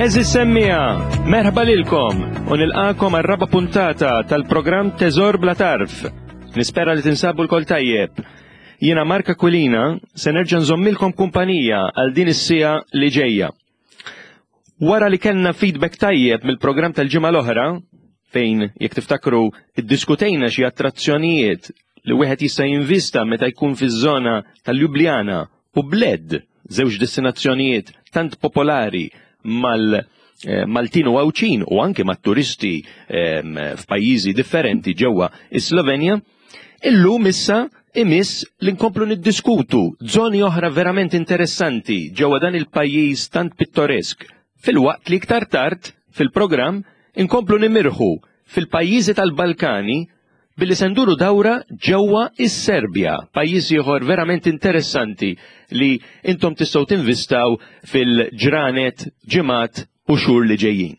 Eżis semmija, merħba lilkom u nilqakom għar-raba puntata tal-programm Teżor Bla Tarf. Nispera li tinsabu l-kol tajjeb. Jiena Marka Kwilina se nerġa' nżommilkom kumpanija għal din is-sija li ġejja. Wara li kellna feedback tajjeb mill-programm tal-ġimgħa l-oħra, fejn jekk tiftakru iddiskutejna xi attrazzjonijiet li wieħed jista' jinvista meta jkun fiż-żona tal-Ljubljana u Bled, żewġ destinazzjonijiet tant popolari mal eh, Maltin u Għawdxin u anke mat-turisti ehm, f'pajjiżi differenti ġewwa is-Slovenja, illum issa imiss li nkomplu niddiskutu żoni oħra verament interessanti ġewwa dan il-pajjiż tant pittoresk, filwaqt li iktar tard fil-programm inkomplu nimirħu fil-pajjiżi tal-Balkani billi se nduru dawra ġewwa is-Serbja, pajjiż ieħor verament interessanti li intom tistgħu tinvistaw fil-ġranet, ġimgħat u xhur li ġejjin.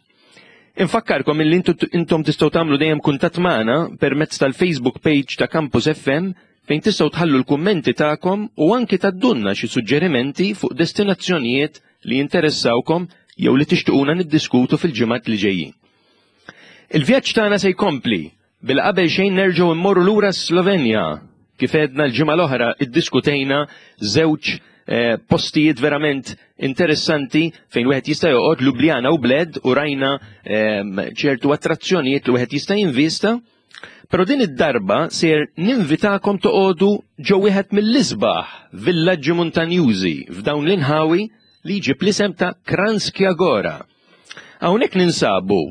Infakkarkom illi intom tistgħu tagħmlu dejjem kuntatt magħna permezz tal-Facebook page ta' Campus FM fejn tistgħu tħallu l-kummenti tagħkom u anki taddunna xi suġġerimenti fuq destinazzjonijiet li jinteressawkom jew li tixtuquna niddiskutu fil-ġimgħat li ġejjin. Il-vjaġġ tagħna se jkompli bil qabel xejn nerġgħu mmorru lura s-Slovenja. Kif għedna l-ġimgħa l-oħra iddiskutejna żewġ eh, postijiet verament interessanti fejn wieħed jista' joqgħod Ljubljana u Bled u rajna ehm, ċertu attrazzjonijiet li wieħed jista' jinvista. Però din id-darba ser ninvitakom toqogħdu ġo wieħed mill-isbaħ villaġġi muntanjużi f'dawn l-inħawi li jġib l-isem ta' Kranjska Gora. Hawnhekk ninsabu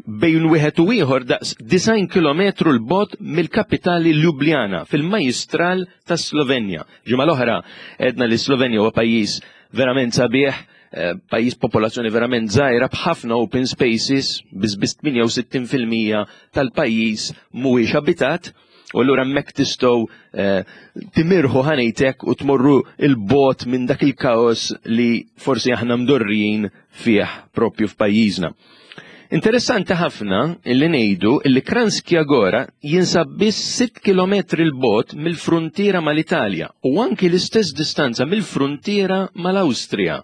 bejn wieħed u ieħor daqs 90 kilometru 'l bogħod mill-kapitali Ljubljana fil-majjistral tas-Slovenja. Ġimgħa l-oħra għedna li Slovenja huwa pajjiż verament sabiħ, eh, pajjiż popolazzjoni verament żgħira b'ħafna open spaces, biss biss 68% tal-pajjiż mhuwiex abitat. U allura hemmhekk tistgħu eh, timirħu ħanejtek u tmorru il-bot minn dak il-kaos li forsi aħna mdorrijin fih propju f'pajjiżna. Interessanti ħafna illi ngħidu illi Kranjska Gora jinsab biss 6 km il-bot mill-fruntiera mal-Italja u anki l-istess distanza mill-fruntiera mal-Awstrija.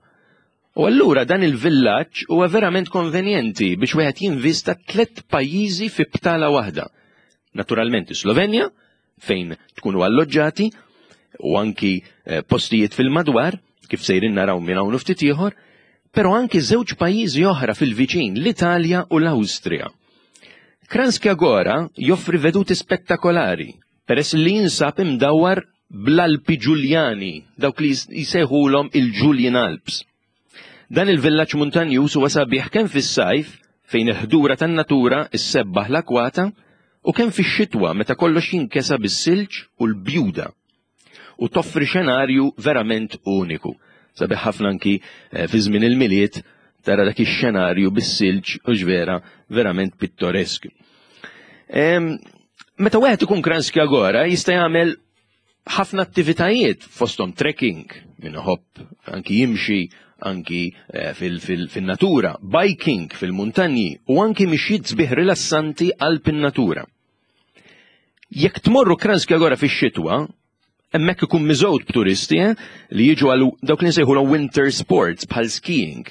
U allura dan il-villaġġ huwa verament konvenjenti biex wieħed jinvista tliet pajjiżi fi btala waħda. Naturalment is-Slovenja, fejn tkunu alloġġati, u anki eh, postijiet fil-madwar, kif sejrin naraw minn hawn ftit ieħor, però anki żewġ pajjiżi oħra fil-viċin, l-Italja u l-Awstrija. Kranjska Gora joffri veduti spettakolari, peress li jinsab imdawwar bl-Alpi Ġuljani, dawk li jsejħulhom il-Julian Alps. Dan il-villaġġ muntanjuż huwa sabiħ kemm fis-sajf, fejn il-ħdura tan-natura issebbaħ l-akwata, u kemm fix-xitwa meta kollox jinkesa bis-silġ u l-bjuda u toffri xenarju verament uniku. Sabiħ ħafna anki eh, fi żmien il-Milied tara dak ix-xenarju bis-silġ u ġvera verament pittoresk. Meta wieħed ikun Kranjska Gora jista' jagħmel ħafna attivitajiet fosthom trekking, min iħobb anki jimxi anki eh, fil-natura, biking fil-muntanji u anki mixjiet sbieħ rilassanti qalb in-natura. Jekk tmorru Kranjska Gora fix-xitwa, hemmhekk ikun miżgħud b'turisti eh, li jiġu għal dawk li nsejħu winter sports bħal skiing.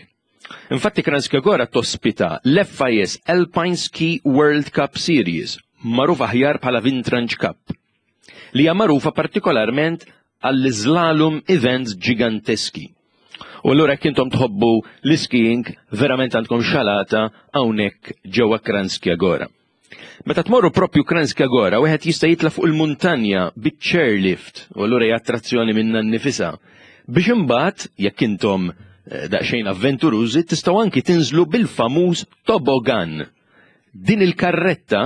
Infatti Kranjska Gora tospita l-FIS Alpine Ski World Cup Series, magħruf aħjar bħala Vintrange Cup, li hija magħrufa partikolarment għall-slalom events ġiganteski. U allura jekk intom tħobbu l-skiing, verament għandkom xalata hawnhekk ġewwa Kranjska Gora. Meta tmorru propju Kranjska Gora, wieħed jista' jitla' fuq il-muntanja biċ-chairlift, u allura hija attrazzjoni minnha nnifisha. Biex imbagħad, jekk intom eh, daqsxejn avventurużi, tistgħu anki tinżlu bil-famuż tobogan. Din il-karretta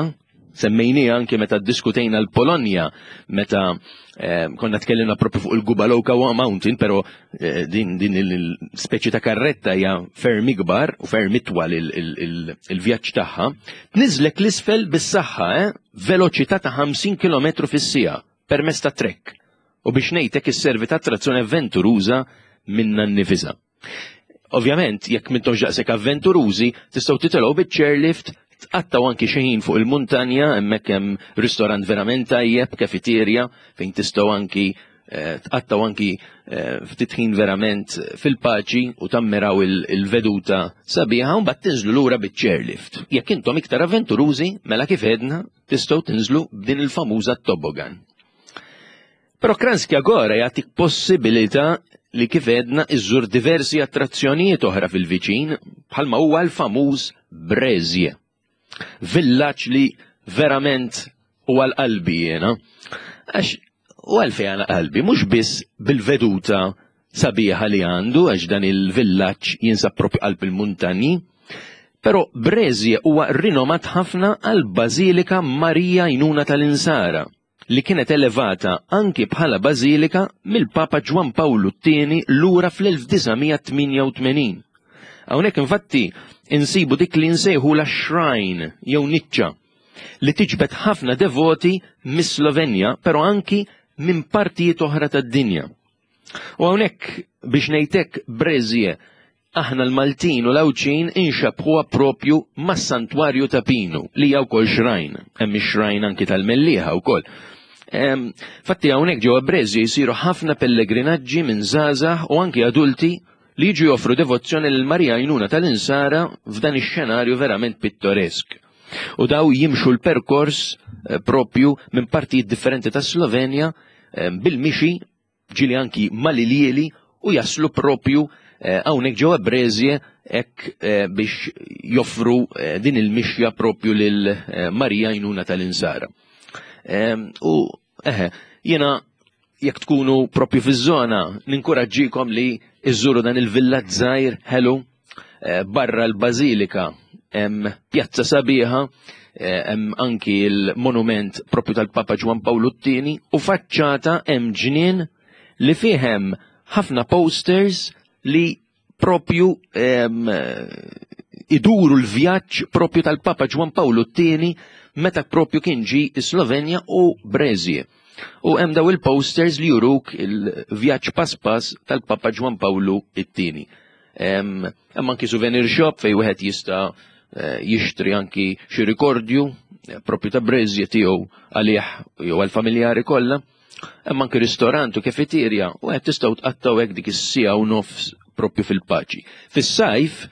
semmejnija anki meta ddiskutejna l-Polonja, meta eh, konna tkellimna propju fuq il-Gubaloka Mountain, pero eh, din, din il-speċi ta' karretta hija ferm ikbar u ferm itwal il-vjaġġ tagħha, tniżlek l-isfel bis-saħħa, eh, veloċità ta' 50 km fis-siegħa permezz ta' trek. U biex ngħidlek isservi ta' attrazzjoni avventuruża minna nnifisha. Ovvjament, jekk m'intomx daqshekk avventurużi, tistgħu titilgħu biċ-chairlift, tqattgħu anki xi ħin fuq il-muntanja, hemmhekk hemm ristorant verament tajjeb, kafeterja, fejn tistgħu anki tqattaw anki ftit ħin verament fil-paċi u tammiraw il-veduta sabiħa u mbagħad tinżlu lura biċ-chairlift. Jekk intom iktar avventurużi, mela kif edna, tistgħu tinżlu b'din il-famuża toboggan. Però Kranjska Gora jagħtik possibilità li kif edna iżżur diversi attrazzjonijiet oħra fil-viċin bħalma huwa l-famuż Brezje. Villaġġ li verament huwa l-qalbi jiena. Għax u għalfej għal qalbi, mhux biss bil-veduta sabiħa li għandu għax dan il-villaġġ jinsab propju qalb il-muntanji, però Brezje huwa rinomat ħafna għal Bażilika Marija Jnuna tal-Insara li kienet elevata anki bħala bażilika mill-Papa Ġwann Pawlu t-Tieni lura fl-1988. Hawnhekk infatti insibu dik li nsejħu la shrine jew niċċa li tiġbed ħafna devoti mis-Slovenja, però anki minn partijiet oħra tad-dinja. U hawnhekk biex ngħidlek Brezje aħna l-Maltin u l-Għawdxin inxabbħuha propju mas-Santwarju ta' Pinu li hija wkoll shrine, hemm ix-shrine anki tal-Mellieħa wkoll. Fatti hawnhekk ġewwa Brezje jsiru ħafna pellegrinaġġi minn żgħażagħ u anki adulti li jiġu joffru devozzjoni lil Marija Għajnuna tal-Insara f'dan ix-xenarju verament pittoresk. U daw jimxu l-perkors propju minn partijiet differenti ta' Slovenja bil-mixi ġieli anki mal-ilieli u jaslu propju hawnhekk ġewwa Brezje hekk biex joffru din il-mixja propju lil Marija Għajnuna tal-Insara. U eħe, jiena jekk tkunu propju fiż-żona ninkuraġġikom li iżżuru dan il-villaġġ żgħir ħelu barra l-Bażilika hemm pjazza sabiħa, hemm anki l-monument propju tal-Papa Ġwann Pawlu t-Tieni u faċċata hemm ġnien li fih hemm ħafna posters li propju iduru l-vjaġġ propju tal-Papa Ġwann Pawlu t-Tieni meta propju kien ġi Slovenja u Brezje. U hemm daw il-posters li juruk il-vjaġġ pass pass tal-Papa Ġwann Pawlu t-Tieni. Hemm anki souvenir shop fejn wieħed jista' jixtri anki xi rikordju propju ta' Brezje tiegħu għalih jew għall-familjari kollha. Hemm anki ristorant u kafeterja u qed tistgħu tqattgħu hekk dik is-siegħa u nofs propju fil-paċi. Fis-sajf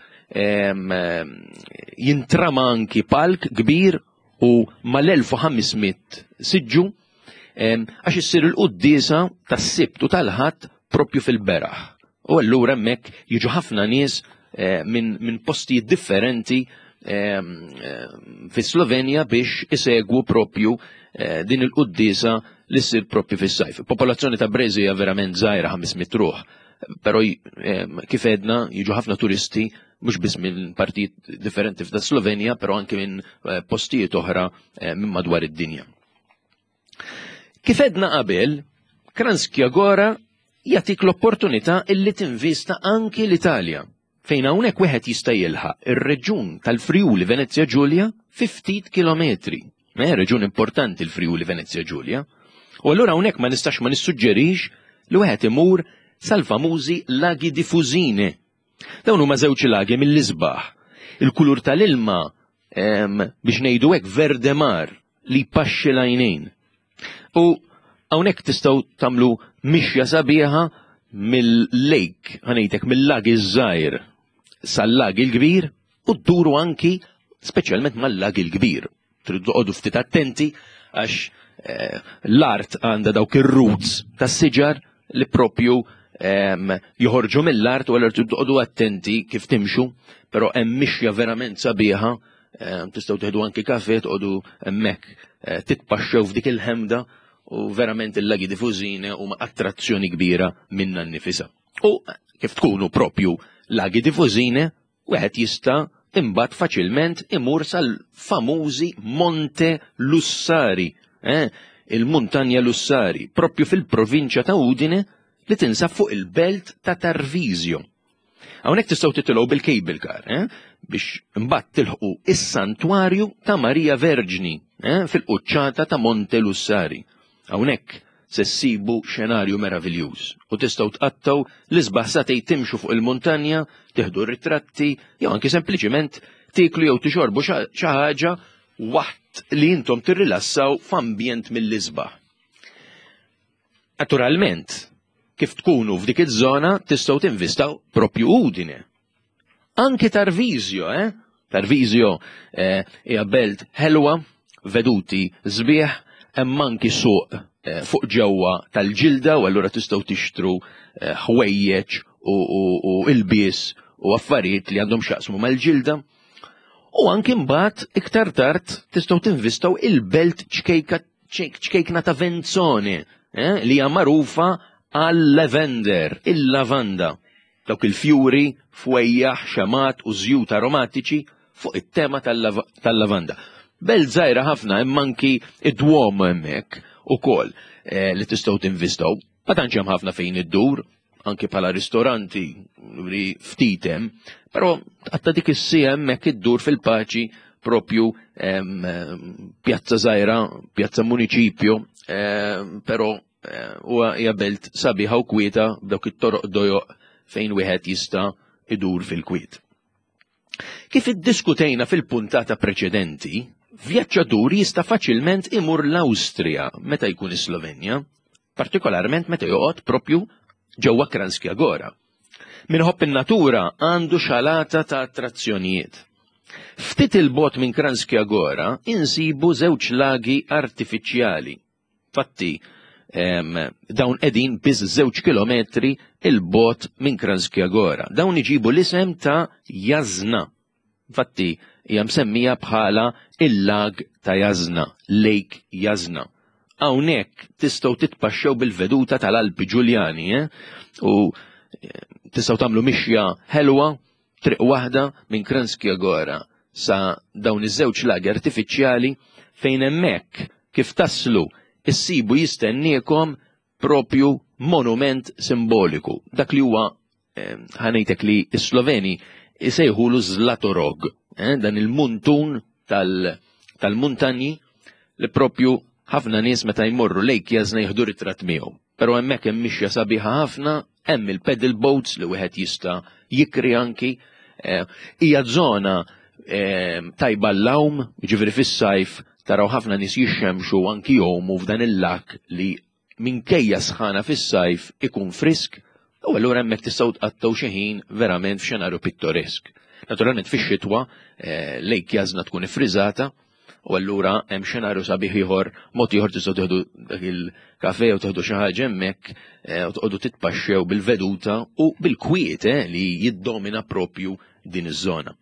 jintrama anki palk kbir u mal-1500 siġġu għax issir il-quddiesa tas-Sibt u tal-Ħadd propju fil-beraħ. U allura hemmhekk jiġu ħafna nies minn postijiet differenti fi Slovenja biex isegwu propju din il-quddiesa li ssir propju fis-sajf. Popolazzjoni ta' Brezje hija verament żgħira 500 ruħ, però kif edna jiġu ħafna turisti mhux biss minn partijiet differenti f'da Slovenja, però anke minn postijiet oħra minn madwar id-dinja. Kif edna qabel, Kranjska Gora jagħtik l-opportunità illi tinvista anki l-Italja, fejn hawnhekk wieħed jista' jilħaq ir-reġjun tal-Friuli Venezia Giulia fi ftit kilometri. Reġjun importanti l-Friuli Venezia Giulia. U allura hawnhekk ma nistax ma nissuġġerix li wieħed imur sal-famużi Laghi di Fusine. Dawn huma żewġ lagi mill-isbaħ. Il-kulur tal-ilma biex ngħidu hekk verdemar li jpaxxi l-għajnejn. U hawnhekk tistgħu tagħmlu mixja sabiħa mill-lake, ħanejtek mill-lag iż-żgħir sal-lag il-kbir u dduru anki speċjalment mal-lag il-kbir. Tridu toqgħodu ftit attenti għax l-art għandha dawk ir-roots tas-siġar li propju joħorġu mill-art u allura tridu toqgħodu attenti kif timxu, però hemm mixja verament sabiħa, tistgħu tieħdu anki kafe toqgħodu hemmhekk titpaxxew f'dik il-ħemda u verament il-Laghi di Fusine huma attrazzjoni kbira minna nnifisha. U kif tkunu propju Laghi di Fusine, wieħed jista' imbagħad faċilment imur sal-famużi Monte Lussari, il-Muntanja Lussari, propju fil-provinċja ta' Udine li tinsab fuq il-belt ta' Tarvisio. Hawnhekk tistgħu titilgħu bil-cable car, biex imbagħad tilħqu is-Santwarju ta' Marija Verġni, fil-quċċata ta' Monte Lussari. Hawnhekk se ssibu xenarju meraviljuż u tistgħu tqattgħu l-isbaħ sagħtejn timxu fuq il-muntanja, tieħdu ritratti jew anki sempliċiment tieklu jew tixorbu xi ħaġa waqt li intom tirrilassaw f'ambjent mill-isbaħ. Naturalment, kif tkunu f'dik iż-żona tistgħu tinvistaw propju Udine. Anki Tarvisio, eh? Tarvisio eh, hija belt ħelwa, veduti sbieħ, hemm anki suq eh, fuq ġewwa tal-ġilda u allura tistgħu tixtru eh, ħwejjeġ u ilbies u affarijiet li għandhom x'jaqsmu mal-ġilda. U anki mbagħad iktar tard tistgħu tinvistaw il-belt ċkejka ċkejkna ta' Venzone, eh, li hija magħrufa għal-lavender, il-lavanda. Dawk il-fjuri, fwejjaħ, xemat u żjut aromatiċi fuq it-tema tal-lavanda. Belt żgħira ħafna hemm anki id-Duomo hemmhekk ukoll eh, li tistgħu tinvistaw. Ma tantx hemm ħafna fejn iddur, anki bħala ristoranti li ftit hemm, però għatta dik is-sija hemmhekk iddur fil-paċi propju pjazza żgħira, pjazza municipio, però eh, huwa hija belt sabiħa u kwieta b'dawk it-toroq dojoq fejn wieħed jista' idur fil-kwiet. Kif iddiskutejna fil-puntata preċedenti, vjaġġatur jista' faċilment imur l-Awstrija meta jkun is-Slovenja, partikolarment meta joqgħod propju ġewwa Kranjska Gora. Min iħobb in-natura għandu xalata ta' attrazzjonijiet. Ftit il-bogħod minn Kranjska Gora insibu żewġ lagi artifiċjali. Fatti, dawn qegħdin biss żewġ kilometri il-bogħod minn Kranjska Gora. Dawn iġibu l-isem ta' Jasna. Fatti, hija msemmija bħala il-lag ta' Jasna, Lake Jasna. Hawnhekk tistgħu titpaxxew bil-veduta tal-Alpi Ġuljani, eh? U eh, tistgħu tagħmlu mixja ħelwa triq waħda minn Kranjska Gora sa dawn iż-żewġ lagi artifiċjali fejn hemmhekk kif taslu issibu jistenniekom propju monument simboliku. Dak li huwa eh, ħanejtek li s-Sloveni isejħulu Zlatorog, eh, dan il-muntun tal-muntanji li propju ħafna nies meta jmorru lejk jażna jieħdu ritratt miegħu. Però hemmhekk hemm mixja sabiħa ħafna, hemm il-pedal boats li wieħed jista' jikri anki. Eh, hija żona eh, tajba l-lawm, ġifieri fis-sajf taraw ħafna nies jixxemxu anki jgħumu f'dan il-lak li minkejja sħana fis-sajf ikun frisk u allura hemmhekk tistgħu tqattgħu xi ħin verament f'xenarju pittoresk. Naturalment fix-xitwa eh, lejk jażna tkun ifriżata u allura hemm xenarju sabiħ ieħor, mod ieħor tistgħu tieħdu dak il-kafe u tieħdu xi ħaġa hemmhekk eh, u toqgħodu titpaxxew bil-veduta u bil-kwiet eh, li jiddomina propju din iż-żona.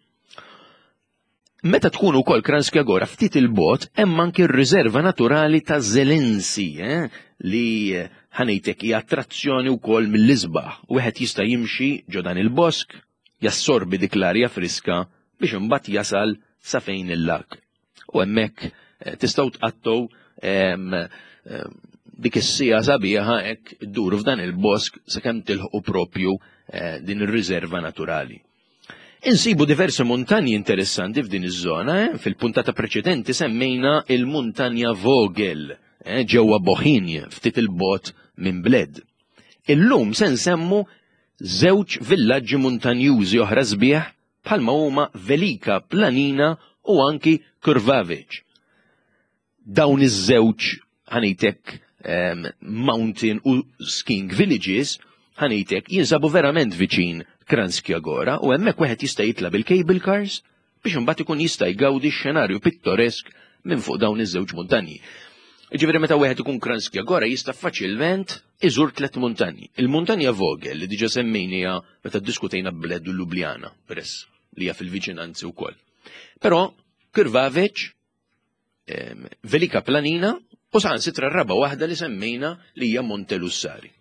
Meta tkun ukoll Kranjska Gora ftit il-bot hemm anki r-riserva naturali ta' Zelensi eh, li ħanejtek hija attrazzjoni wkoll mill-isbaħ. Wieħed jista' jimxi ġo dan il-bosk, jassorbi dik l-arja friska biex imbagħad jasal sa fejn il-lag. U hemmhekk eh, tistgħu tqattgħu dik is-sija sabiħa hekk idduru f'dan il-bosk sakemm tilħqu propju eh, din ir-riserva naturali. Insibu diversi muntanji interessanti f'din iż-żona, eh? fil-puntata preċedenti semmejna il-muntanja Vogel eh, ġewwa Bohinj ftit il-bot minn Bled. Illum se nsemmu żewġ villaġġi muntanjużi oħra sbieħ bħalma huma Velika Planina u anki Krvavic. Dawn iż-żewġ ħanejtek mountain u skiing villages ħanejtek jinsabu verament viċin Kranjska Gora u hemmhekk wieħed jista' jitla' bil-cable cars biex imbagħad ikun jista' jgawdi x-xenarju pittoresk minn fuq dawn iż-żewġ muntanji. Ġifieri meta wieħed ikun Kranjska Gora jista' faċilment iżur tliet muntanji. Il-muntanja Vogel li diġà semmejniha meta ddiskutejna Bled u Ljubljana, peress li hija fil-viċinanzi wkoll. Però Krvavec Velika Planina u saħansitra r-raba waħda li semmejna li hija Monte Lussari.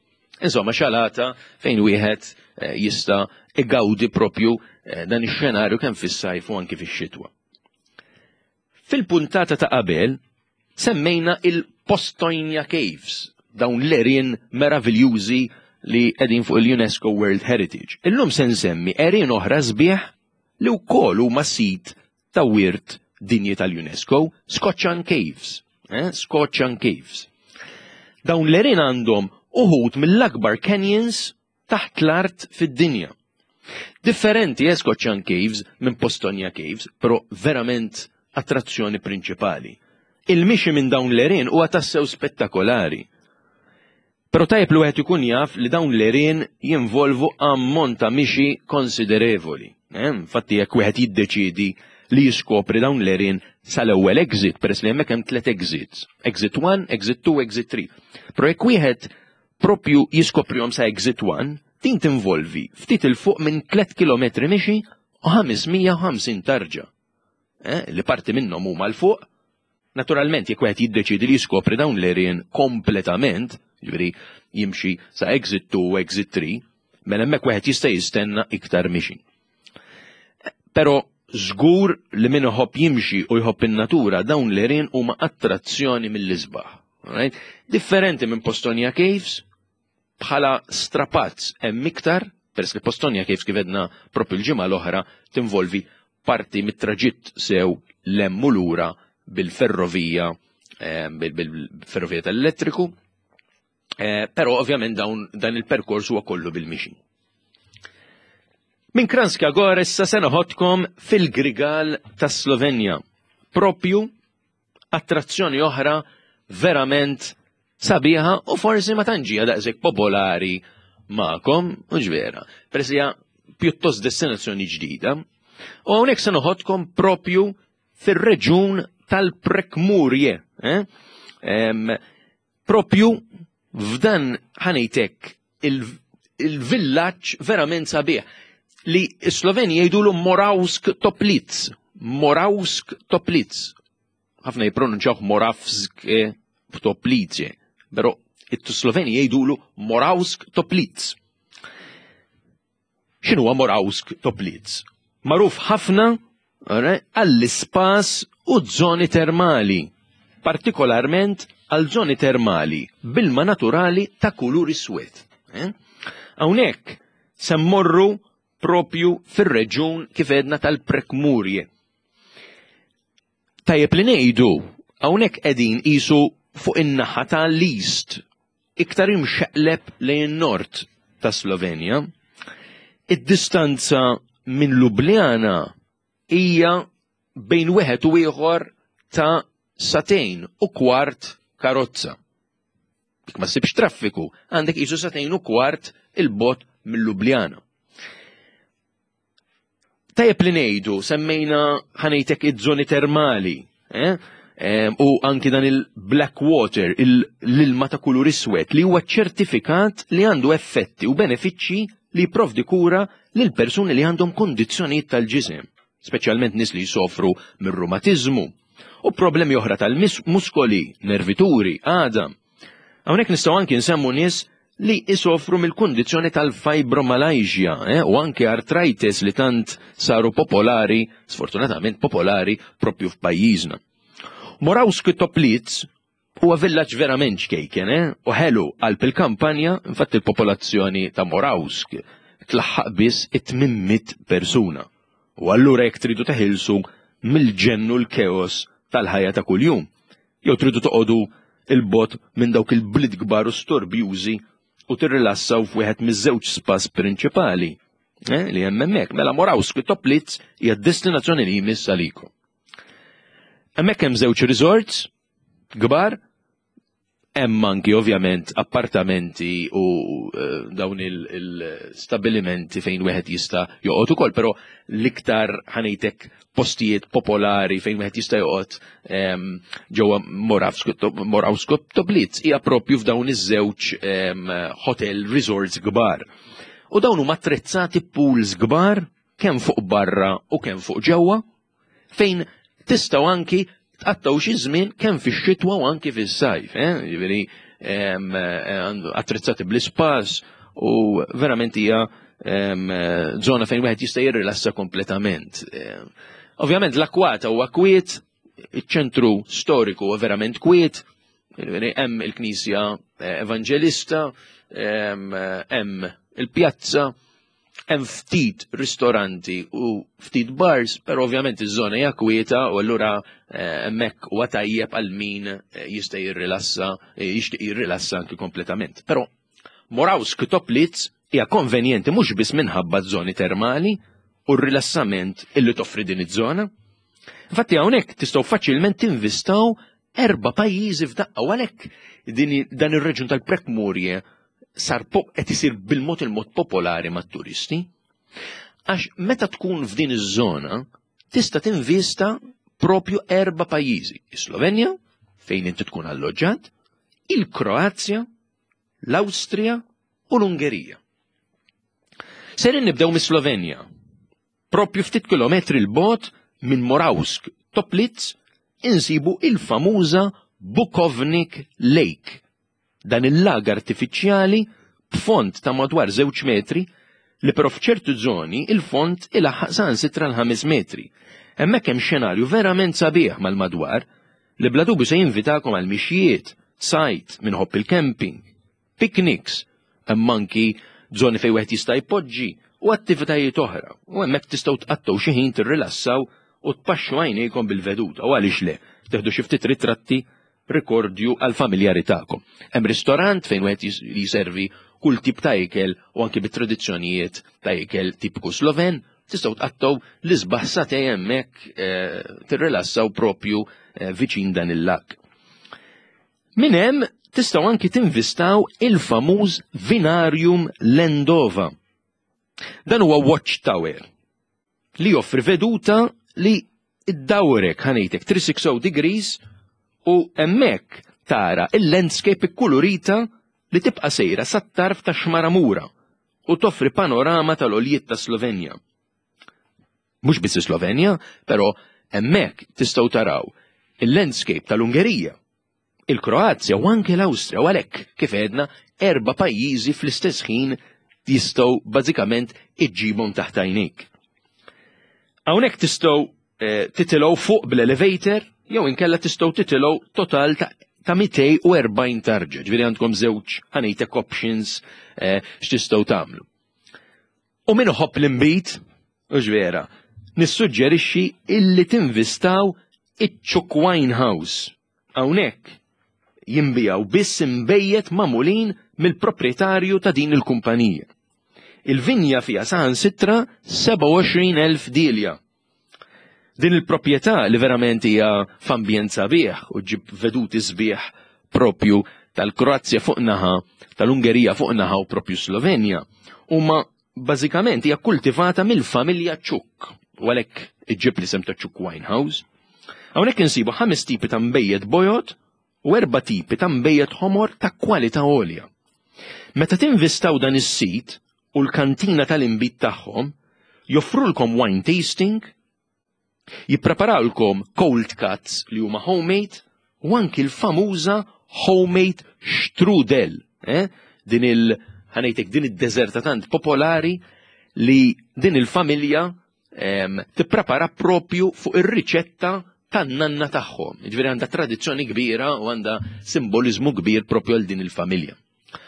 Insomma, xalata fejn wieħed eh, jista' igawdi propju eh, dan ix-xenarju kemm fis-sajf u anki fix-xitwa. Fil-puntata ta' qabel semmejna il-Postojnja Caves, dawn l-erien meraviljużi li qegħdin fuq il-UNESCO World Heritage. Illum se nsemmi erien oħra sbieħ li wkoll huma sit ta' Wirt Dinji tal-UNESCO, Skoċan Caves. Eh? Skoċan Caves. Dawn l-erien għandhom uħud mill-akbar canyons taħt l-art fid-dinja. Differenti eh, Skoċan Caves minn Postonja Caves, però verament attrazzjoni prinċipali. Il-mixi minn dawn l-erien huwa tassew spettakolari. Però tajjeb li wieħed ikun jaf li dawn l-għerien jinvolvu ammont ta' mixi konsiderevoli. Eh, infatti jekk wieħed jiddeċiedi li jiskopri dawn l-għerien sal-ewwel exit, peress li hemmhekk hemm tliet exits. Exit 1, exit 2, exit 3. Però jekk wieħed propju jiskoprihom sa exit 1, din tinvolvi ftit il fuq minn 3 km mixi u 550 tarġa. Eh, li parti minnhom huma l fuq Naturalment, jekk wieħed jiddeċiedi li jiskopri dawn l-għerien kompletament, jiġifieri jimxi sa exit 2 u exit 3, mela hemmhekk wieħed jista' jistenna iktar mixi. Però żgur li min iħobb jimxi u jħobb in-natura dawn l-għerien huma attrazzjoni mill-isbaħ. Right? Differenti minn Postonia Caves, bħala strapazz hemm iktar, peress li Postonia Caves kif edna propju l-ġimgħa l-oħra tinvolvi parti mit-traġitt sew l-hemm u lura bil-ferrovija eh, bil-ferrovija tal-elettriku, eh, però ovvjament dawn dan il-perkors huwa kollu bil-mixi. Minn Kranjska Gora issa se noħodkom fil-Grigal tas Slovenja, propju attrazzjoni oħra verament sabiħa u forsi ma tantx daqshekk popolari magħkom, u vera, peress hija pjuttost destinazzjoni ġdida. U hawnhekk se noħodkom propju fir-reġun tal-Prekmurje. Eh? Propju f'dan ħanejtek il-villaġġ verament sabiħ li s-Sloveni jgħidulu Moravsk Toplitz. Moravsk Toplitz. Ħafna jippronunċawh Moravsk Toplice, però it-Sloveni jgħidulu Moravsk Toplitz. X'inhuwa Moravsk Toplitz? Magħruf ħafna għall-ispas u żoni termali, partikolarment għal żoni termali bilma naturali ta' kulur iswed. Eh? Hawnhekk se mmorru propju fir-reġjun kif edna tal-Prekmurje. Tajjeb li ngħidu, hawnhekk qegħdin qisu fuq in-naħa ta' l-East, iktar imxeqleb lejn nord ta' Slovenja. Id-distanza minn Ljubljana hija bejn wieħed u ieħor ta' sagħtejn u kwart karozza. Jekk ma ssibx traffiku, għandek qisu sagħtejn u kwart il-bogħod minn Ljubljana. Tajjeb li ngħidu, semmejna ħanejtek iż-żoni termali, eh? U anki dan il-black water, l-ilma ta' kulur iswed, li huwa ċertifikat li għandu effetti u benefiċċji li jipprovdi kura lil persuni li għandhom kondizzjonijiet tal-ġisem, speċjalment nies li jsofru mir-rumatiżmu u problemi oħra tal-muskoli, nervituri, għadam. Hawnhekk nistgħu anki nsemmu nies li isofru mill-kundizzjoni tal-fibromyalgia eh, u anke arthritis li tant saru popolari, sfortunatament popolari, propju f'pajjiżna. Moravski Toplitz huwa villaġġ verament ċkejken eh, u ħelu qalb il-kampanja, infatti il-popolazzjoni ta' Moravsk tlaħħaq biss it-800 persuna. U allura jekk tridu teħilsu mill-ġennu l-keos tal-ħajja ta' kuljum, Jew tridu toqogħdu 'il bogħod minn dawk il-bliet kbar u storbjużi u tirrilassaw f'wieħed miż-żewġ spas prinċipali eh, li hemm hemmhekk. Mela Moravski Toplitz hija d-destinazzjoni li jmiss għalikom. Hemmhekk hemm żewġ resorts kbar Hemm anki ovvjament appartamenti u eh, dawn il-stabilimenti fejn wieħed jista' joqgħod ukoll, però l-iktar ħanejtek postijiet popolari fejn wieħed jista' joqgħod ehm, ġewwa Moravsko Toblitz hija propju f'dawn iż-żewġ ehm, hotel resorts kbar. U dawn huma attrezzati pools kbar kemm fuq barra u kemm fuq ġewwa fejn tistgħu anki tqattgħu xi żmien kemm fix-xitwa u anki fis-sajf, eh? Jiġifieri eh, attrezzati bl-ispas u verament hija żona fejn wieħed jista' jirrilassa kompletament. Ovvjament l-akwata huwa kwiet, iċ-ċentru storiku huwa verament kwiet, hemm il-Knisja eh, Evanġelista, hemm il-pjazza, Hemm ftit ristoranti u ftit bars, però ovvjament iż-żona hija kwieta u allura eh, hemmhekk huwa tajjeb għal min eh, jista' jirrilassa, eh, jixtieq jirrilassa anki kompletament. Però Moravsk Toplitz hija konvenjenti mhux biss minħabba żoni termali u r-rilassament illi toffri din iż-żona. Infatti hawnhekk tistgħu faċilment tinvistaw Erba' pajjiżi f'daqqa u għalhekk dan ir-reġjun tal-Prekmurje sar qed isir bil-mod il-mod popolari mat-turisti. Għax meta tkun f'din iż-żona tista' tinvista propju erba' pajjiżi. Is-Slovenja, fejn inti tkun alloġġat, il-Kroazja, l-Awstrija u l-Ungerija. Serin nibdew mis-Slovenja. Propju ftit kilometri 'l bogħod minn Moravsk Toplitz insibu il-famuża Bukovnik Lake. Dan il-lag artifiċjali b'fond ta' madwar żewġ metri li però f'ċertu żoni il-fond ilaħħaq saħansitra l-ħames metri. Hemmhekk hemm xenarju verament sabiħ mal-madwar li bla dubju se jinvitakom għal mixjiet, sajd, min iħobb il-camping, picnics, hemm anki żoni fejn wieħed jista' jpoġġi u attivitajiet oħra. U hemmhekk tistgħu tqattgħu xi ħin tirrilassaw u tpaxxu għajnejkom bil-veduta u għaliex le, teħdu xi ftit ritratti rikordju għall-familjari tagħkom. Hemm ristorant fejn wieħed jiservi kull tip ta' ikel u anki bit-tradizzjonijiet ta' ikel tipiku Sloven, tistgħu tqattgħu l-isbaħ satej hemmhekk eh, tirrilassaw propju eh, viċin dan il-lak. Minn hemm tistgħu anki tinvistaw il-famuż Vinarium Lendova. Dan huwa watchtower li joffri veduta li ddawrek ħanejtek 360 degrees u hemmhekk tara il-landscape ikkulurita li tibqa' sejra sat-tarf ta' Xmaramura u toffri panorama tal-għoljiet ta' Slovenja. Mhux biss is-Slovenja, però hemmhekk tistgħu taraw il-landscape tal-Ungerija, il-Kroazja u anke l-Awstrija u għalhekk kif għedna erba' pajjiżi fl-istess ħin jistgħu bażikament iġġibhom taħt għajnejk. Hawnhekk tistgħu eh, titilgħu fuq bl-elevator jew inkella tistgħu titilgħu total ta' ta' 240 tarġa, ġifieri għandkom żewġ ħanejtek options eh, x'tistgħu tagħmlu. U min iħobb l-inbid, hux vera, nissuġġerixxi illi tinvistaw iċ-Chuk Wine House. Hawnhekk jinbiegħu biss inbejjed magħmulin mill-proprjetarju ta' din il-kumpanija. Il-vinja fiha saħansitra 27,000 dielja. Din il-proprjetà li verament hija f'ambjent sabiħ u ġib veduti sbieħ propju tal-Kroazja fuq naħa, tal-Ungerija fuq naħa u propju Slovenja, huma bażikament hija kultivata mill-familja Ċuk, u għalhekk iġġib l-isem ta' Ċuk Winehouse. Hawnhekk insibu ħames tipi ta' mbejjed bojod u erba' tipi ta' nbejjed ħomor ta' kwalità għolja. Meta tinvistaw dan is-sit u l-kantina tal-inbid tagħhom, joffrulkom wine tasting, jippreparawlkom cold cuts li huma homemade u anki l-famuża homemade strudel, eh? din il ħanejtek din id-deżerta tant popolari li din il-familja tipprepara propju fuq ir-riċetta tan-nanna tagħhom. Jiġifieri għandha tradizzjoni kbira u għandha simboliżmu kbir propju għal din il-familja.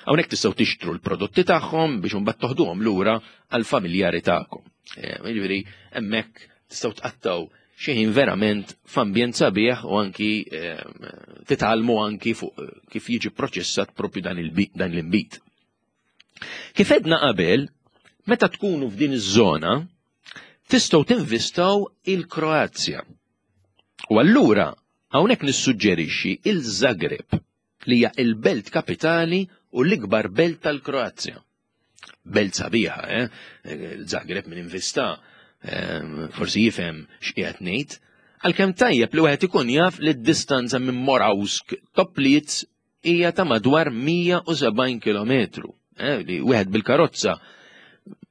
Hawnhekk tistgħu tixtru l-prodotti tagħhom biex imbagħad toħduhom lura għall-familjari tagħkom. Jiġifieri hemmhekk tistgħu tqattgħu xi ħin verament f'ambjent sabiħ u anki titgħallmu anki fuq kif jiġi proċessat propju dan l-inbid. Kif edna qabel, meta tkunu f'din iż-żona, tistgħu tinvistaw il-Kroazja. U allura hawnhekk nissuġġerixxi il-Zagreb li hija il-belt kapitali u l-ikbar belt tal-Kroazja. Belt sabiħa, eh? Il-Zagreb minn invista, eh, forsi jifhem x'qiegħed ngħid, għalkemm tajjeb li wieħed ikun jaf li d-distanza minn Moravsk Toplitz hija ta' madwar 170 kilometru. Eh, li wieħed bil-karozza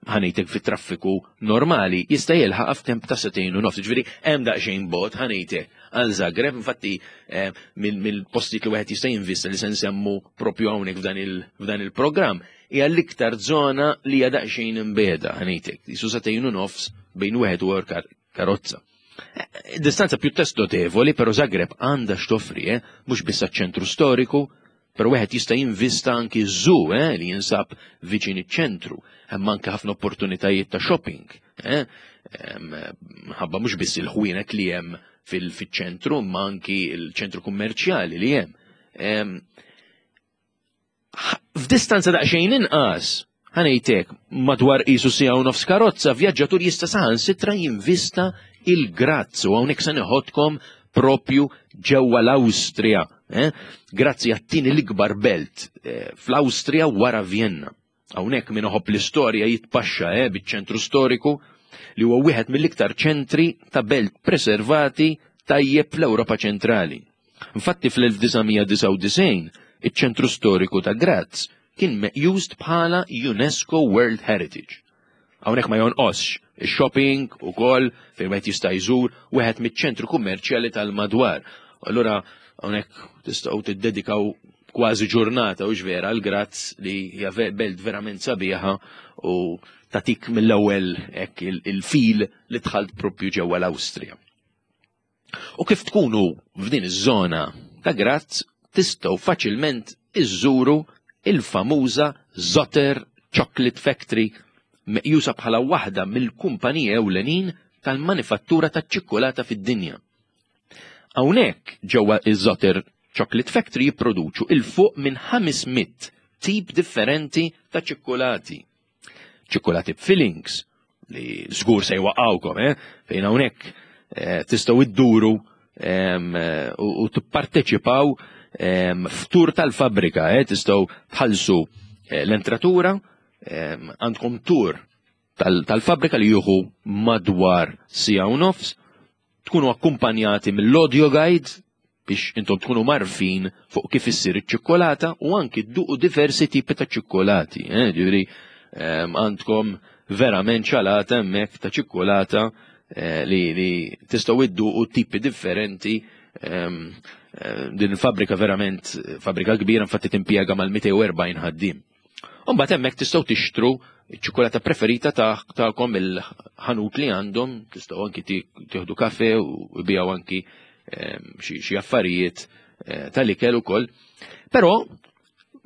ħanejtek fit traffiku normali jista' jilħaq f'temp ta' setejn u nofs. Ġifieri hemm daqsxejn bot ħanejtek għal Zagreb, infatti eh, mill-postijiet li wieħed jista' jinvista li se nsemmu propju hawnhekk f'dan il-programm hija l-iktar żona li hija daqsxejn imbeda ħanejtek. Jisu setejn u nofs bejn wieħed u karozza. Distanza pjuttost notevoli, però Zagreb għandha x'toffri, eh? mhux biss ċentru storiku, però wieħed jista' jinvista anki zoo eh, li jinsab viċin iċ-ċentru, hemm anke ħafna opportunitajiet ta' shopping. Eh? Ħabba mhux biss il-ħwienet li hemm fil-ċentru, ma anki il-ċentru kummerċjali li hemm. F'distanza daqsxejn inqas, ħanejtek, madwar qisu siegħa u nofs karozza, vjaġġatur jista' saħansitra jinvista il-Graz u hawnhekk se neħodkom propju ġewwa l-Awstrija, eh? grazzi għat-tieni l-ikbar belt eh, fl-Awstrija wara Vienna. Hawnhekk min iħobb l-istorja jitpaxxa eh, biċ-ċentru storiku li huwa wieħed mill-iktar ċentri ta' belt preservati tajjeb fl-Ewropa ċentrali. Infatti fl-1999 iċ-ċentru storiku ta' Graz kien meqjus bħala UNESCO World Heritage. Hawnhekk ma jonqosx ix-shopping ukoll fejn wieħed jista' jżur wieħed miċ-ċentru kummerċjali tal-madwar. Allura hawnhekk tistgħu tiddedikaw kważi ġurnata u vera l Graz li hija belt verament sabiħa u tatik mill-ewwel hekk il-fil li dħalt propju ġewwa l-Awstrija. U kif tkunu f'din iż-żona ta' Graz tistgħu faċilment iżżuru il-famuża Zotter Chocolate Factory meqjusa bħala waħda mill-kumpaniji ewlenin tal-manifattura taċ-ċikkulata fid-dinja. Hawnhekk ġewwa iż-Zotter Chocolate Factory jipproduċu 'il fuq minn 500 tip differenti ta' ċikkulati. ċikkulati b'fillings li żgur se jwaqgħukom, eh? Fejn hawnhekk eh, tistgħu idduru eh, u tipparteċipaw f'tur tal-fabbrika, eh, tistgħu tħallsu eh, l-entratura, għandkom tur tal-fabbrika li juhu madwar sija u nofs, tkunu akkumpanjati mill-audio guide biex intom tkunu marfin fuq kif issir iċ-ċikkolata u anki dduqu diversi tipi ta' ċikkolati. Eh? Ġifieri ehm, għandkom verament ċalata hemmhekk ta' ċikkolata eh, li, li tistgħu idduqu tipi differenti ehm, eh, din il-fabbrika verament fabbrika kbira infatti timpjega mal-240 ħaddiem. Umbagħad hemmhekk tistgħu tixtru ċ-ċikolata preferita tagħkom il-ħanut li għandhom, tistgħu anki tieħdu kafe u bijaw anki ehm, xi affarijiet eh, tal-ikel ukoll. Però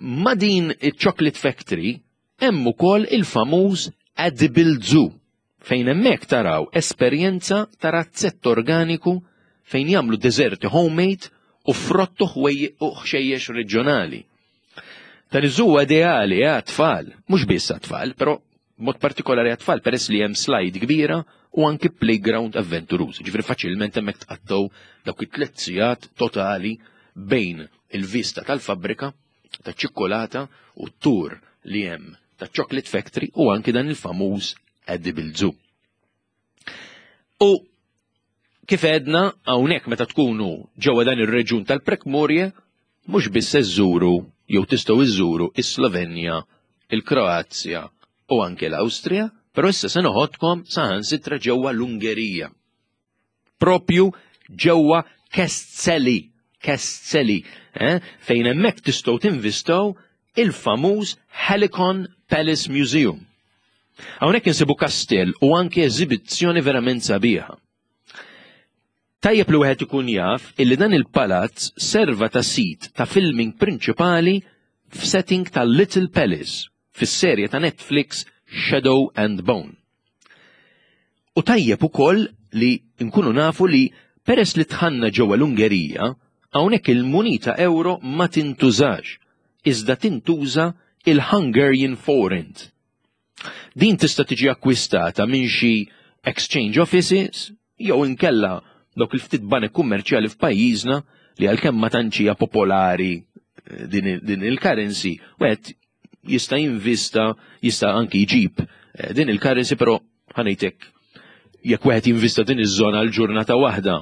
ma din iċ-Chocolate Factory hemm ukoll il-famuż Edible Zoo fejn hemmhekk taraw esperjenza ta' razzett organiku fejn jagħmlu deżerti homemade u frott u ħxejjex reġjonali. Dan iż-żu ideali eh, għat-tfal, mhux biss għat-tfal, però mod partikolari għat-tfal peress li hemm slide kbira u anki playground avventuruż. Ġifieri faċilment hemmhekk tqattgħu dawk it-tliet sigħat totali bejn il-vista tal-fabbrika ta' ċikkolata u t-tur li hemm ta' Chocolate Factory u anki dan il-famuż Edible Zoo. U kif edna hawnhekk meta tkunu ġewwa dan ir-reġjun tal-Prekmurje mhux biss iżżuru jew tistgħu iżżuru is-Slovenja, il-Kroazja u anke l-Awstrija, però issa se noħodkom saħansitra ġewwa l-Ungerija. Propju ġewwa Keszthely, Keszthely, eh, fejn hemmhekk tistgħu tinvistaw il-famuż Helicon Palace Museum. Hawnhekk insibu kastell u anke eżibizzjoni verament sabiħa. Tajjeb li wieħed ikun jaf illi dan il-palazz serva ta' sit ta' filming prinċipali f'setting ta' Little Palace fis-serje ta' Netflix Shadow and Bone. U tajjeb ukoll li nkunu nafu li peress li tħanna ġewwa l-Ungerija, hawnhekk il-munita euro ma tintużax, iżda tintuża il-Hungarian forint. Din tista' tiġi akkwistata minn xi exchange offices jew inkella dawk il-ftit banek kummerċjali f'pajjiżna li għalkemm ma tantx hija popolari eh, din, din il-currency, wieħed jista' jinvista, jista' anki jġib eh, din il-currency, però ħanejtek jekk wieħed jinvista din iż-żona għal ġurnata waħda,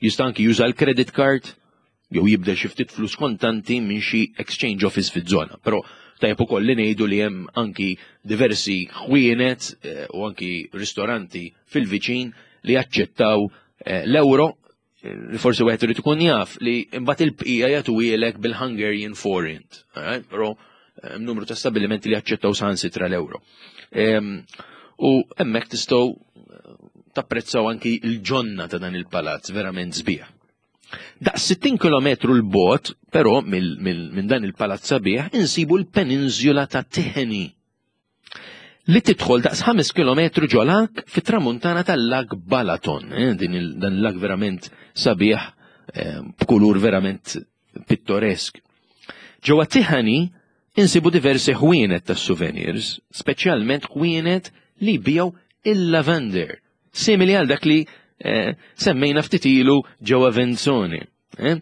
jista' anki juża l-credit card jew jibdel xi ftit flus kontanti minn xi exchange office fiż-żona. Però tajjeb ukoll li ngħidu li hemm anki diversi ħwienet eh, u anki ristoranti fil-viċin li jaċċettaw eh, l-euro li forsi wieħed irid ikun jaf li mbagħad il-bqija jagħtuhielek bil-Hungarian forint, però hemm numru ta' stabilimenti li jaċċettaw saħansitra l-euro. U hemmhekk tistgħu eh, tapprezzaw anki l-ġonna ta' dan il-palazz verament sbieħ. Daqs 60 km l-bot, però minn dan il-palazz sabiħ, insibu l-peninsula ta' Tiheni li tidħol daqs 5 km ġo lag fit-tramuntana tal-lag Balaton, eh, din dan il-lag verament sabiħ eh, b'kulur verament pittoresk. Ġewwa Tihani insibu diversi ħwienet tas souvenirs, speċjalment ħwienet li jbiegħu il-lavender, simili għal dak li eh, semmejna ftit ilu ġewwa Venzone. Eh?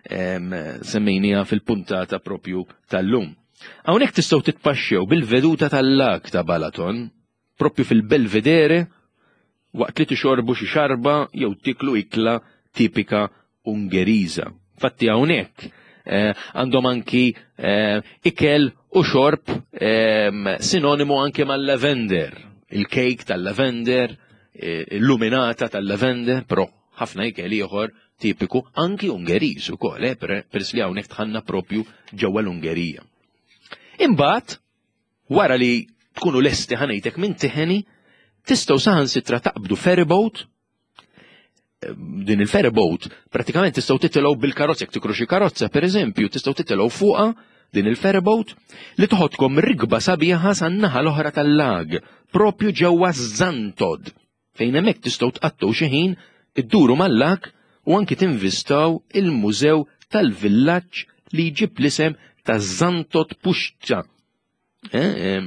Semmejnija fil-puntata propju tal-lum. Hawnhekk tistgħu titpaxxew bil-veduta tal-lag ta' Balaton, propju fil-Belvedere, waqt li tixorbu xi xarba jew tiklu ikla tipika Ungeriża. Fatti hawnhekk eh, għandhom anki eh, ikel u xorb eh, sinonimu anki mal-lavender, il-kejk tal-lavender, illuminata tal-lavender, però ħafna ikel ieħor tipiku anki Ungeriż ukoll, eh, peress li hawnhekk tħanna propju ġewwa l-Ungerija. Imbagħad, wara li tkunu lesti ħanejtek minn tiħeni, tistgħu saħansitra taqbdu ferryboat eh, din il-ferryboat pratikament tistgħu titilgħu bil-karozza jekk tikru xi karozza pereżempju tistgħu titilgħu fuqha din il-ferryboat li toħodkom rikba sabiħa san-naħa l-oħra tal-lag propju ġewwa Zantod fejn hemmhekk tistgħu tqattgħu xi ħin idduru mal-lag u anki tinvistaw il-mużew tal-villaġġ li jġib l-isem ta' Zantot Puxċa. Eh,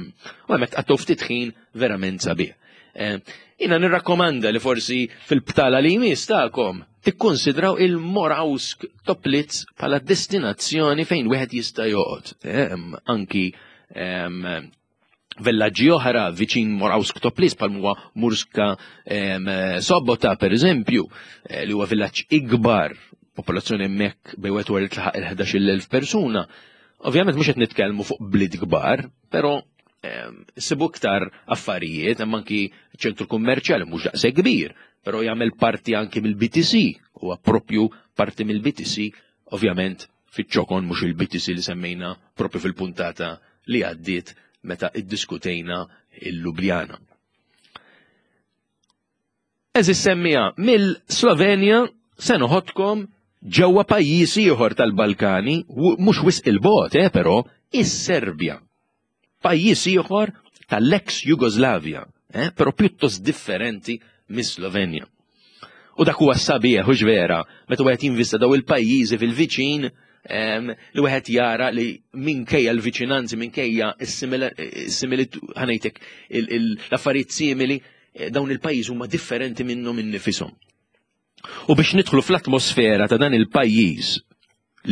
u hemmhekk tqattgħu ftit ħin verament sabiħ. Eh, jina nirrakkomanda li forsi fil-btala li jmiss tagħkom tikkonsidraw il-Morawsk Toplitz bħala destinazzjoni fejn wieħed jista' joqgħod. Eh, anki Villaġġi oħra viċin Morawsk Toplis bħal huwa Murska Sobota per eżempju, eh, li huwa villaġġ ikbar, popolazzjoni hemmhekk bej wieħed wara tlaħaq il-11,000 persuna. Ovvjament mhux qed nitkellmu fuq bliet kbar, però sibu iktar affarijiet, hemm anki ċentru kummerċjali mhux daqshekk kbir, però jagħmel parti anki mill-BTC, huwa propju parti mill-BTC, ovvjament fiċ-ċokon mhux il-BTC li semmejna propju fil-puntata li għaddiet meta iddiskutejna il-Ljubljana. Eżis semmija mill-Slovenja se noħodkom ġewwa pajjiż ieħor tal-Balkani, mhux wisq il-bogħod, eh, però, is-Serbja. Pajjiż ieħor tal-ex Jugoslavja, eh, però pjuttost differenti mis-Slovenja. U dak huwa sabiħ hux vera, meta wieħed jinvista daw il-pajjiżi fil-viċin li wieħed jara li minkejja l-viċinanzi, minkejja s-similitu, ħanejtek l-affarijiet simili, eh, dawn il-pajjiż huma differenti minnhom innifisom. U biex nidħlu fl-atmosfera ta' dan il-pajjiż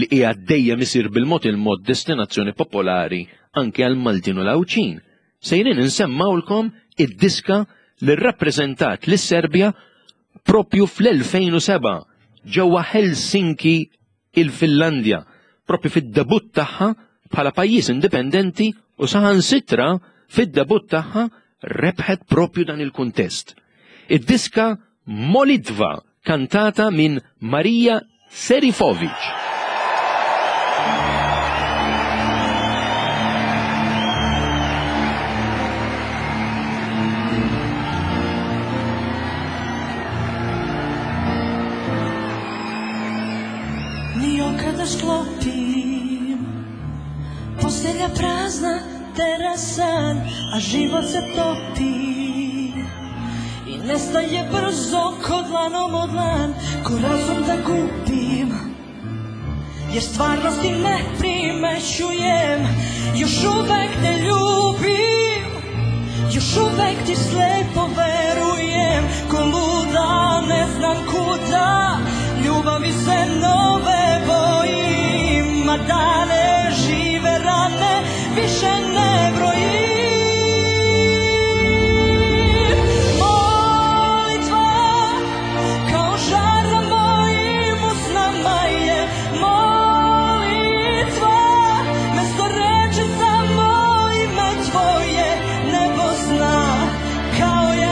li qiegħed dejjem isir bil-mod il-mod destinazzjoni popolari anke għal Maltin u l-Għawdxin, sejrin insemmawlkom id-diska li rrappreżentat lis-Serbja propju fl-2007 ġewwa Helsinki il-Finlandja, propju fid-debutt tagħha bħala pajjiż indipendenti u saħansitra fid-debutt tagħha rebħet propju dan il-kuntest. Id-diska Molitva kantata minn Marija Serifovic. Ni oka da sklopim Postelja prazna, terasa A život se topi I nestaje brzo ko dlanom o dlan Ko razum da gubim Jer stvarnosti ne primećujem Još uvek te ljubim Još uvek ti slepo verujem Ko luda ne znam kuda Ljubavi se nove bojim A dane žive rane više ne brojim Molitva kao žar na mojim usnama je Molitva mesto reči samo ime tvoje Nebo zna kao je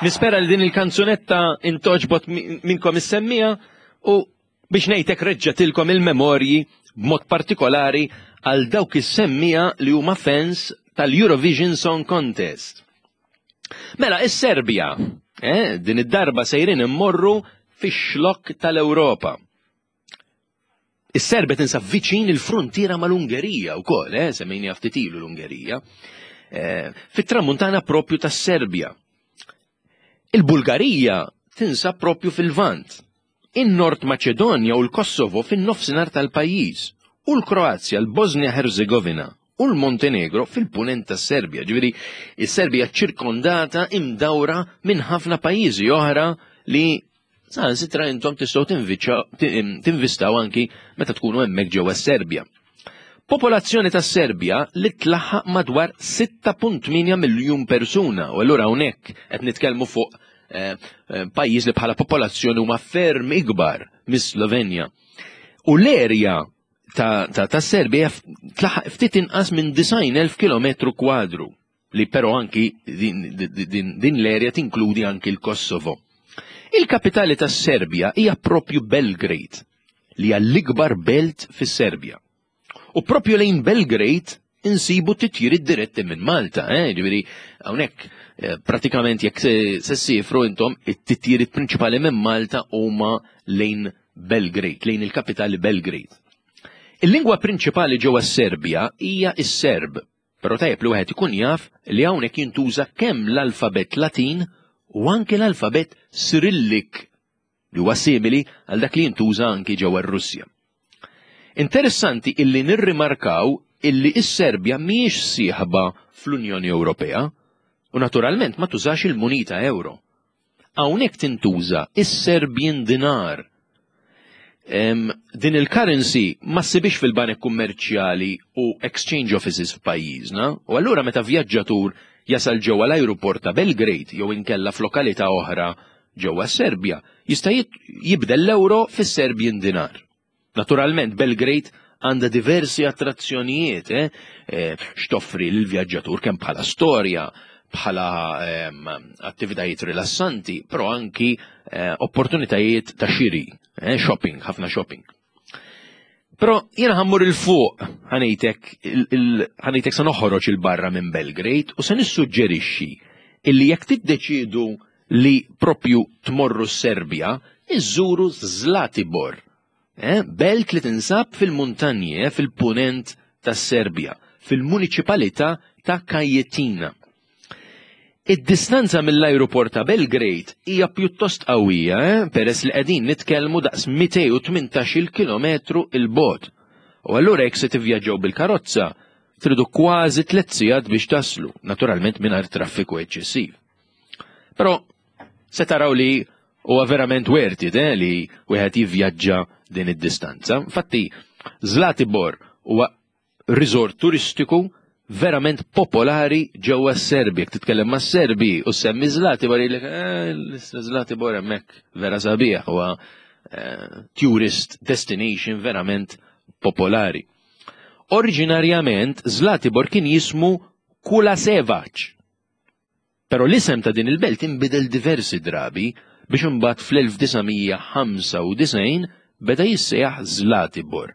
Nispera li din il-kanzunetta intoġbot minnkom is-semmija u biex ngħidlek reġġatilkom il-memorji b'mod partikolari għal dawk is-semmija li huma fans tal-Eurovision Song Contest. Mela, is-Serbja, eh, din id-darba sejrin immorru fix-xlokk tal-Ewropa. Is-Serbja tinsab viċin il-fruntiera mal-Ungerija wkoll, eh, semmejni ftit ilu l-Ungerija, eh, fit-tramuntana propju tas-Serbja. Il-Bulgarija tinsab propju fil-Lvant. In-Nord Maċedonja u l-Kosovo fin-nofsinhar tal-pajjiż u l-Kroazja, l-Bosnia Herzegovina u l-Montenegro fil-punent tas-Serbja. Ġifieri, is-Serbja ċirkondata imdawra minn ħafna pajjiżi oħra li Saħansitra intom tistgħu tinvistaw anki meta tkunu hemmhekk ġewwa s-Serbja. Popolazzjoni tas-Serbja li tlaħħaq madwar 6.8 miljun persuna u allura hawnhekk qed nitkellmu fuq eh, eh, pajjiż li bħala popolazzjoni huma ferm ikbar mis-Slovenja. U l-erja ta', ta, ta Serbja tlaħħaq ftit inqas minn 90,000 km kwadru li però anki din, din, din l-erja tinkludi anki l-Kosovo. Il-kapitali tas-Serbja hija propju Belgrade, li hija l-ikbar belt fis-Serbja. U propju lejn Belgrade insibu titjiriet diretti minn Malta, eh? ġifieri hawnhekk eh, pratikament jekk se ssifru intom it-titjiriet prinċipali minn Malta huma lejn Belgrade, lejn il-kapitali Belgrade. Il-lingwa prinċipali ġewwa s-Serbja hija s-Serb, Però tajjeb li wieħed ikun jaf li hawnhekk jintuża kemm l-alfabett Latin u anke l-alfabett Sirillik li huwa simili għal dak li jintuża anki ġewwa r-Russja. Interessanti illi nirrimarkaw illi s-Serbja mhijiex sieħba fl-Unjoni Ewropea u naturalment ma tużax il-munita euro. Hawnhekk tintuża is-Serbian dinar. Din il-currency ma ssibix fil-banek kummerċjali u exchange offices f'pajjiżna, u allura meta vjaġġatur jasal ġewwa l-ajruport ta' Belgrade jew inkella f'lokalità oħra ġewwa s-Serbja, jista' jibdel l-euro fis-Serbian dinar. Naturalment Belgrade għandha diversi attrazzjonijiet eh, eh, x'toffri lill-vjaġġatur kemm bħala storja, bħala ehm, attivitajiet rilassanti, però anki eh, opportunitajiet ta' xiri, eh, shopping, ħafna shopping. Però jiena ħammur il-fuq ħanejtek ħanejtek se noħroġ il-barra minn Belgrade u se nissuġġerixxi illi jekk tiddeċiedu li propju tmorru s-Serbja, iżżuru Zlatibor, eh, belt li tinsab fil-muntanji eh, fil-punent tas-Serbja, fil-muniċipalità ta' Kajetina. Id-distanza mill-ajruport ta' Belgrade hija pjuttost qawwija, eh, peress li qegħdin nitkellmu daqs 218 kilometru 'il bogħod. U allura jekk se tivvjaġġaw bil-karozza, tridu kważi tliet sigħat biex taslu, naturalment mingħajr traffiku eċċessiv. Però se taraw li huwa verament worth it eh, li wieħed jivvjaġġa din id-distanza. Infatti, Zlatibor huwa resort turistiku verament popolari ġewwa s-Serbi. Jekk titkellem ma' Serbi u semmi Zlatibor jgħidlek eh, Zlatibor hemmhekk vera sabiħ huwa eh, tourist destination verament popolari. Oriġinarjament Zlatibor kien jismu Kulasevac. Però l-isem ta' din il-belt inbidel diversi drabi biex imbagħad fl-1995 beda jissejjaħ Zlatibor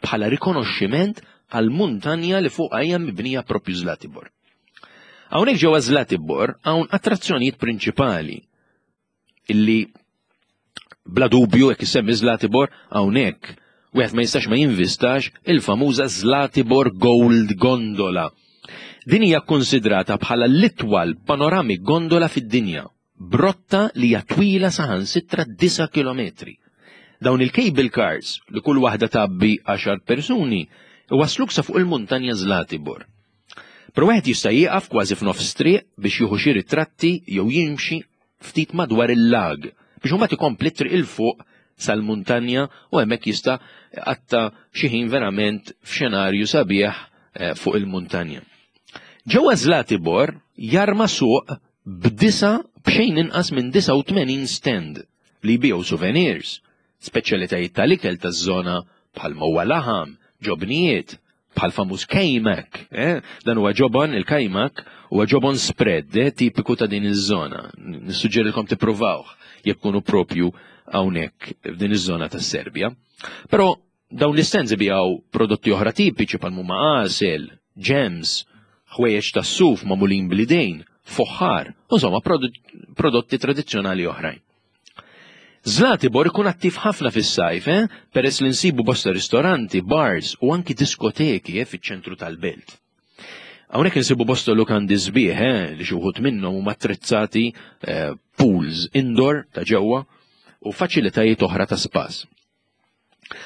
bħala rikonoxximent għall-muntanja li fuqha hija mibnija proprju Zlatibor. Hawnhekk ġewwa Zlatibor hawn attrazzjonijiet prinċipali illi bla dubju jekk issemmi Zlatibor hawnhekk wieħed ma jistax ma jinvistax il-famuża Zlatibor Gold Gondola. Din hija kkunsidrata bħala l-itwal panoramic gondola fid-dinja, brotta li hija twila saħansitra 9 kilometri. Dawn il-cable cars li kull waħda tgħabbi 10 persuni iwassluk sa fuq il-muntanja Zlatibor. Però wieħed jista' jieqaf kważi f'nofs triq biex jieħu xi ritratti jew jimxi ftit madwar il-lag biex imbagħad ikompli t-triq 'il fuq sal-muntanja u hemmhekk jista' jqatta' xi ħin verament f'xenarju sabiħ eh, fuq il-muntanja. Ġewwa Zlatibor jarma suq b'disa b'xejn inqas minn 89 stand li jbigħu souvenirs, speċjalitajiet tal-ikel taż-żona bħal huwa laħam, ġobnijiet, bħal famuż kajmak, eh? Dan huwa ġobon, il-kajmak huwa ġobon spread, eh? Tipiku ta' din iż-żona. Nissuġġerilkom tippruvawh jekk kunu propju hawnhekk f'din iż-żona tas-Serbja. Però dawn l-istands ibijaw prodotti oħra tipiċi bħal huma għasel, ġems, ħwejjeġ tas-suf magħmulin bl-idejn, foħħar, insomma prodotti tradizzjonali oħrajn. Zlatibor ikun attiv ħafna fis-sajf, eh? Peress li nsibu bosta ristoranti, bars u anki diskoteki eh, fiċ-ċentru tal-belt. Hawnhekk insibu bosta lukandi sbieħ eh, li xi wħud minnhom huma attrezzati eh, pools indoor ta' ġewwa u faċilitajiet oħra ta' spas.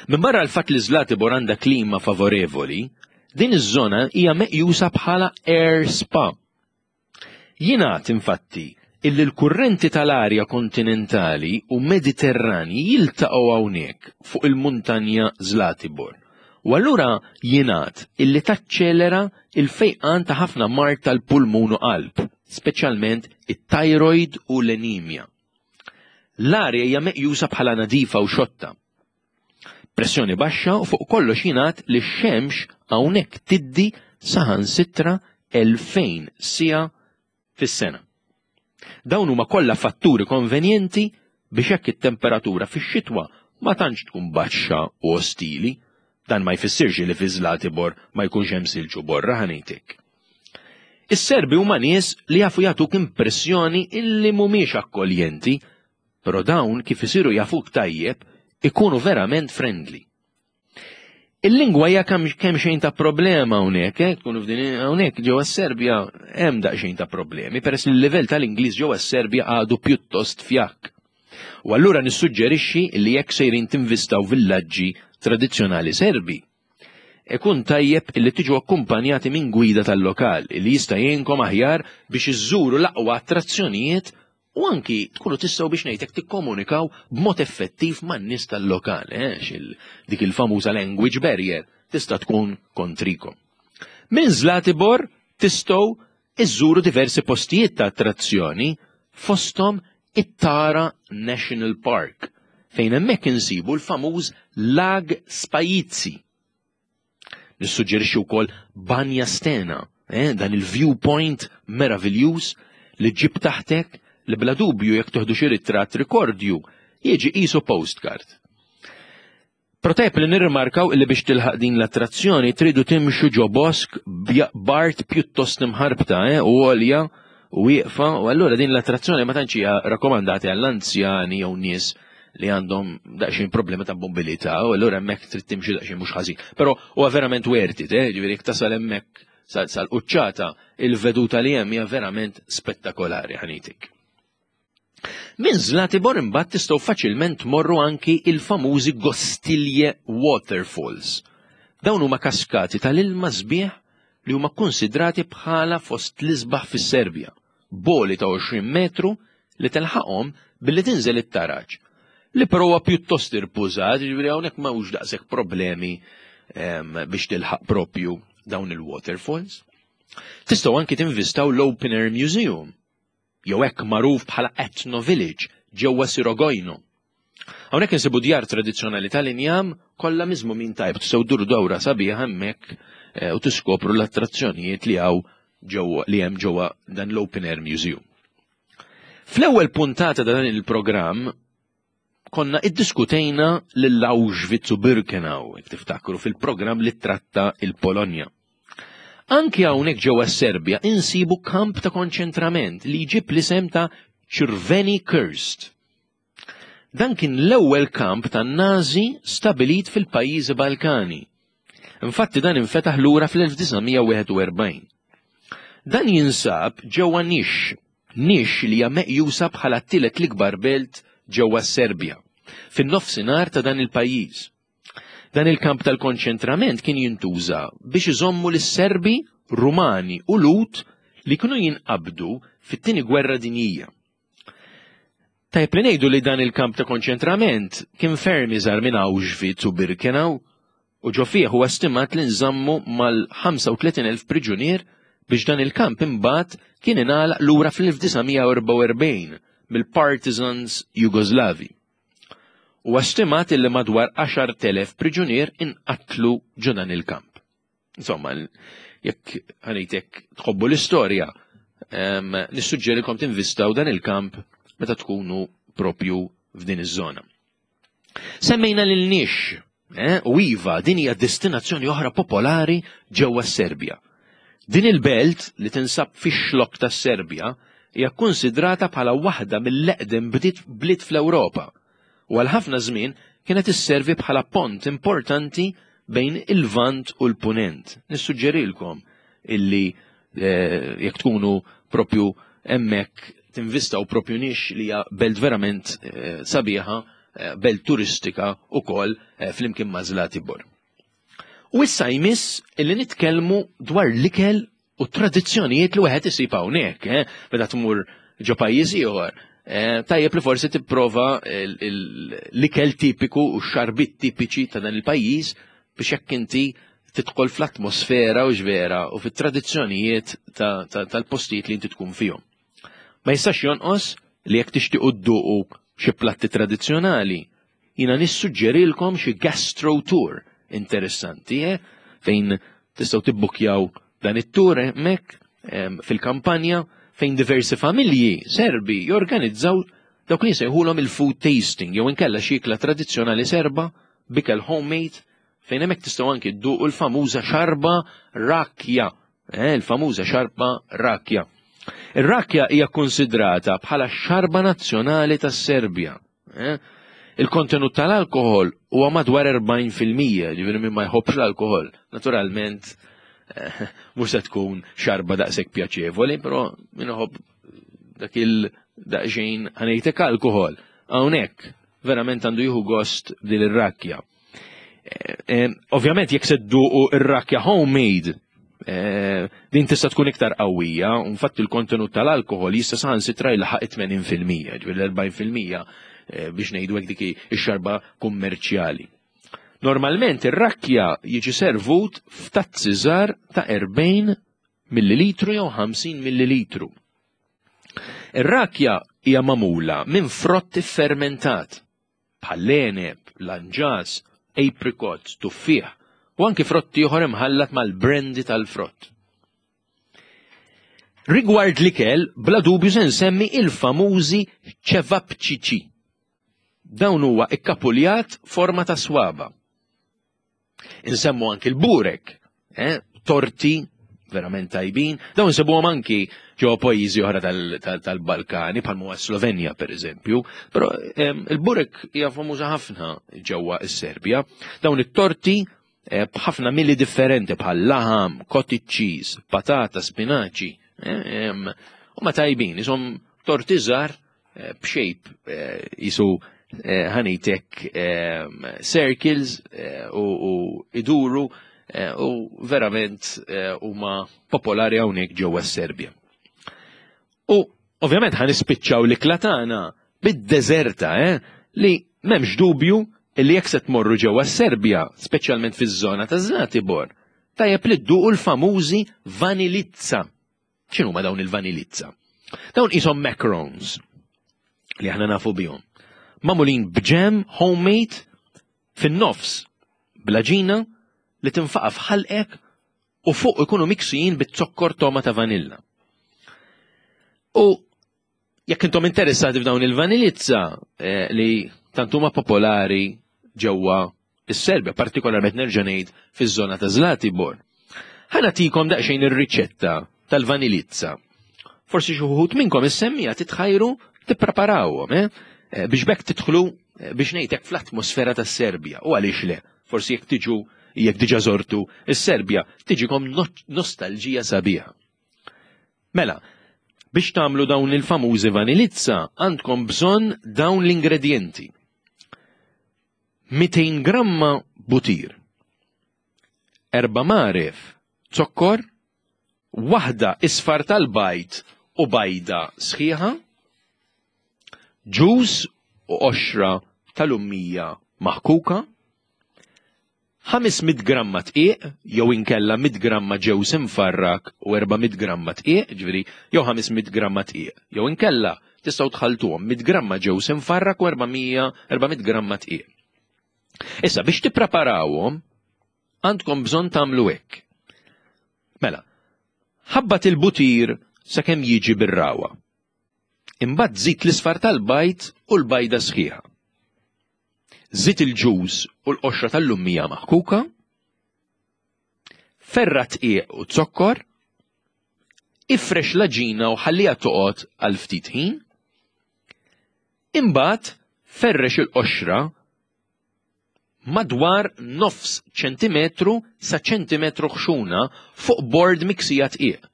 Minbarra l-fatt li Zlatibor għandha klima favorevoli, din iż-żona hija meqjusa bħala air spa. Jingħad, infatti, illi l-kurrenti tal-arja kontinentali u Mediterranji jiltaqgħu hawnhekk fuq il-muntanja Zlatibor u allura jingħad illi taċċelera l-fejqan ta' ħafna mard tal-pulmun u qalb, speċjalment it-thyroid u l-anemia. L-arja hija meqjusa bħala nadifa u xotta. Pressjoni baxxa u fuq kollox jingħad li x-xemx hawnhekk tiddi saħansitra 2000 siegħa fis-sena. Dawn huma kollha fatturi konvenjenti biex hekk it-temperatura fix-xitwa ma tantx tkun baxxa u ostili. Dan ma jfissirx li fi Zlatibor ma jkunx hemm silġ u borra ħa ngħidlek. Is-Serbi huma nies li jafu jagħtuk impressjoni illi mhumiex akkoljenti Però dawn kif isiru jafuk tajjeb ikunu verament friendly. Il-lingwa hija kemm xejn ta' problema hawnhekk, eh, tkunu f'din hawnhekk ġewwa s-Serbja hemm daqsxejn ta' problemi peress li l-livell tal-Ingliż ġewwa s-Serbja għadu pjuttost fjakk. U allura nissuġġerixxi li jekk sejrin tinvistaw villaġġi tradizzjonali Serbi, ikun tajjeb li tiġu akkumpanjati minn gwida tal-lokal li jista' jgħinkom aħjar biex iżżuru l-aqwa attrazzjonijiet U anki tkunu tistgħu biex ngħidlek tikkomunikaw b'mod effettiv man-nies tal-lokal, eh, dik il-famuża language barrier tista' tkun kontrikom. Minn Zlatibor tistgħu iżżuru diversi postijiet ta' attrazzjoni fosthom it-Tara National Park fejn hemmhekk insibu l-famuż Lag Spajizzi. Nissuġġerixxi wkoll Banja Stena, eh, dan il-viewpoint meraviljuż li ġib taħtek li bla dubju jekk toħdu xi ritratt rikordju jiġi qisu postcard. Però tajb li nirrimarkaw illi biex tilħaq din l-attrazzjoni tridu timxu ġo bosk b'art pjuttost imħarbta eh, u għolja u wieqfa u allura din l-attrazzjoni ma tantx hija rakkomandati għall-anzjani jew nies li għandhom daqsxejn problemi ta' mobilità u allura hemmhekk trid timxi daqsxejn mhux ħażin. Però huwa verament worth it, eh? ġifieri jekk tasal hemmhekk sal-quċċata il-veduta li hemm hija verament spettakolari ħanitik. Minn Zlatibor imbagħad tistgħu faċilment tmorru anki il-famużi Gostilje Waterfalls. Dawn huma kaskati tal-ilma sbieħ li huma kkunsidrati bħala fost l-isbaħ fis-Serbja. B'għoli ta' 20 metru li telħaqhom billi tinżel it-taraġ, li però huwa pjuttost irpużat, jiġifieri hawnhekk m'hawnx daqshekk problemi ehm, biex tilħaq propju dawn il-waterfalls. Tistgħu anki tinvistaw l-Open Air Museum, jew hekk magħruf bħala Etno Village ġewwa Sirogojno. Hawnhekk insibu djar tradizzjonali tal-injam kollha miżmumin tajb tistgħu dduru dawra sabiħa hemmhekk eh, u tiskopru l-attrazzjonijiet li hawn ġewwa li hemm ġewwa dan l-Open Air Museum. Fl-ewwel puntata ta' dan il-programm konna iddiskutejna lil Auschwitz u Birkenau, jekk tiftakru fil-programm li tratta il-Polonja. Anki hawnhekk ġewwa s-Serbja insibu kamp ta' konċentrament li jġib l-isem ta' Crveni Krst. Dan kien l-ewwel kamp tan-Nazi stabilit fil-pajjiżi Balkani. Infatti dan infetaħ lura fl-1941. Dan jinsab ġewwa Nix, Nix li hija meqjusa bħala t-tielet l-ikbar belt ġewwa s-Serbja, fin-nofsinhar ta' dan il-pajjiż. Dan il-kamp tal-konċentrament kien jintuża biex iżommu lis-Serbi, Rumani u Lhud li kienu jinqabdu fit-Tieni Gwerra Dinjija. Tajjeb li ngħidu li dan il-kamp ta' konċentrament kien ferm iżgħar minn Auschwitz u Birkenau u ġo fih huwa stimat li nżammu mal-35,000 priġunier biex dan il-kamp imbagħad kien ingħalaq lura fl-1944 mill-partisans Jugoslavi. Huwa stimat li madwar 10,000 priġunier inqatlu ġo dan il-kamp. Insomma, jekk ħanejtek tħobbu l-istorja, nissuġġerikom tinvistaw dan il-kamp meta tkunu propju f'din iż-żona. Semmejna lil Nix, eh, u iva din hija destinazzjoni oħra popolari ġewwa s-Serbja. Din il-belt li tinsab fix-xlokk tas-Serbja hija kkunsidrata bħala waħda mill-eqdem bliet fl-Ewropa u għal ħafna żmien kienet isservi bħala pont importanti bejn il-Lvant u l-Punent. Nissuġġerilkom illi eh, jekk tkunu propju hemmhekk tinvistaw propju nix li hija belt verament eh, sabiħa, eh, belt turistika ukoll flimkien ma' Zlatibor. U issa jmiss illi nitkellmu dwar l-ikel u tradizzjonijiet li wieħed isib hawnhekk, eh? meta tmur ġo pajjiż ieħor. Eh, tajjeb li forsi tipprova l-ikel tipiku u x-xarbit tipiċi ta' dan il-pajjiż biex jekk inti tidħol fl-atmosfera u ġvera u fit-tradizzjonijiet tal-postijiet li inti tkun fihom. Ma jistax jonqos li jekk tixtiequ dduqu xi platti tradizzjonali, Jiena nissuġġerilkom xi gastro tour interessanti, eh? fejn tistgħu tibbukjaw dan it-tour hemmhekk fil-kampanja fejn diversi familji Serbi jorganizzaw dawk li jsejħulhom il-food tasting jew inkella xi ikla tradizzjonali Serba bikel homemade fejn hemmhekk tistgħu anki dduqu l-famuża xarba rakja, eh, il-famuża xarba rakja. Ir-rakja hija konsidrata bħala xarba nazzjonali tas-Serbja. Eh? Il-kontenut tal-alkohol huwa madwar 40%, ġifieri min ma jħobbx l-alkohol. Naturalment, eh, mhux se tkun xarba daqshekk pjaċevoli, però min iħobb dak il daqsxejn ħanejtek alkohol. Hawnhekk verament għandu jieħu gost din ir-rakkja. Eh, ovvjament jekk se dduqu ir-rakkja homemade, eh, din tista' tkun iktar qawwija, u infatti il-kontenut tal-alkohol jista' saħansitra jilħaq 80%, ġifieri l-40% eh, biex ngħidu hekk dik ix-xarba kummerċjali. Normalment ir-rakkja jiġi servut f'tazzi żgħar ta' 40 millilitru jew 50 millilitru. Ir-rakkja hija magħmula minn frott iffermentat bħall-għeneb, lanġas, apricots, tuffieħ u anki frott ieħor imħallat mal-brandy tal-frott. Rigward l-ikel, bla dubju se nsemmi il-famużi ċevapċiċi. Dawn huwa ikkapuljat forma ta' swaba. Insemmu anki l-burek, eh, torti verament tajbin, dawn insibuhom anki ġewwa pajjiżi oħra tal-Balkani bħal huwa Slovenja pereżempju, però il-burek hija famuża ħafna ġewwa s-Serbja. Dawn it-torti eh, b'ħafna mili differenti bħal laħam, cottage cheese, patata, spinaċi, eh, huma tajbin, isom torti żgħar Eh, b'shape eh, jisu eh, ħanitek circles u iduru u verament huma popolari hawnhekk ġewwa s-Serbja. U ovvjament ħan nispiċċaw l-ikla tagħna bid-deżerta li m'hemmx dubju li jekk se tmorru ġewwa s-Serbja, speċjalment fiż-żona ta' Zlatibor, tajjeb li dduqu l-famużi vanilizza. X'inhuma dawn il-vanilizza? Dawn qishom macarons li aħna nafu bihom. Magħmulin b'ġem homemade fin-nofs bl-aġina li tinfaqa' f'ħalqek u fuq ikunu miksijin bit-zokkor toma ta' vanilla. U Jekk intom interessati f'dawn il-vanilizza eh, li tant huma popolari ġewwa is-Serbja, partikolarment nerġa' ngħid fiż-żona ta' Zlatibor. Ħa nagħtikom daqsxejn ir-riċetta tal-vanilizza. Forsi xi wħud minnkom is-semmija titħajru tippreparawhom, eh? eh biex bekk tidħlu eh, biex ngħidlek fl-atmosfera tas-Serbja. U għaliex le? Forsi jekk tiġu jekk diġà żortu is-Serbja tiġikom nostalġija sabiħa. Mela, biex tagħmlu dawn il-famużi vanilizza għandkom bżonn dawn l-ingredjenti. 200 gramma butir, erba' magħref zokkor, waħda isfar tal-bajd u bajda sħiħa, ġuż u qoxra tal-ummija maħkuka, 500 gramma dqiq jew inkella 100 gramma ġewż imfarrak u 400 gramma dqiq, jiġifieri jew 500 gramma dqiq, jew inkella tistgħu tħalltuhom 100 gramma ġewż imfarrak u 400 400 gramma dqiq. Issa biex tippreparawhom għandkom bżonn tagħmlu hekk. Mela, ħabbat il-butir sakemm jiġi bir-rawa. Imbagħad żid l-isfar tal-bajd u l-bajda sħiħa. Żid il-ġuż u l-qoxra tal-lummija maħkuka. Ferra tqiq u zokkor. Ifrex l-għaġina u ħalliha toqgħod għal ftit ħin. Imbagħad ferrex il-qoxra madwar nofs ċentimetru sa ċentimetru ħxuna fuq bord miksija tqiq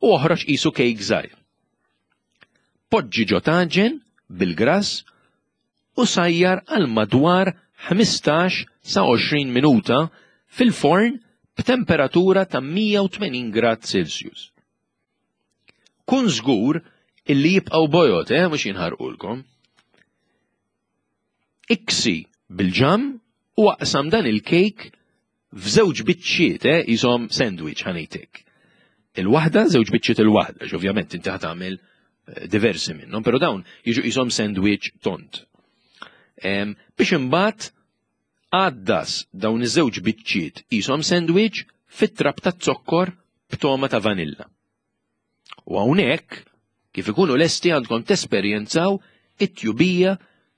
u oħroġ qisu kejk żgħir. Poġġi ġo taġen bil-grass u sajjar għal madwar 15 sa 20 minuta fil-forn b'temperatura ta' 180 grad Celsius. Kun żgur illi jibqgħu bojod, eh, mhux jinħarqulkom. Iksi bil-ġamm u aqsam dan il-kejk f'żewġ biċċiet, eh, qishom sandwich ħa ngħidlek. Il-waħda, żewġ biċċiet il-waħda, għax ovvjament inti ħa tagħmel eh, diversi minnhom, però dawn jiġu qishom sandwich tont. Biex imbagħad għaddas dawn iż-żewġ biċċiet qishom sandwich fit-trab taz-zokkor b'togħma ta' vanilla. U hawnhekk, kif ikunu lesti għandkom tesperjenzaw it-tjubija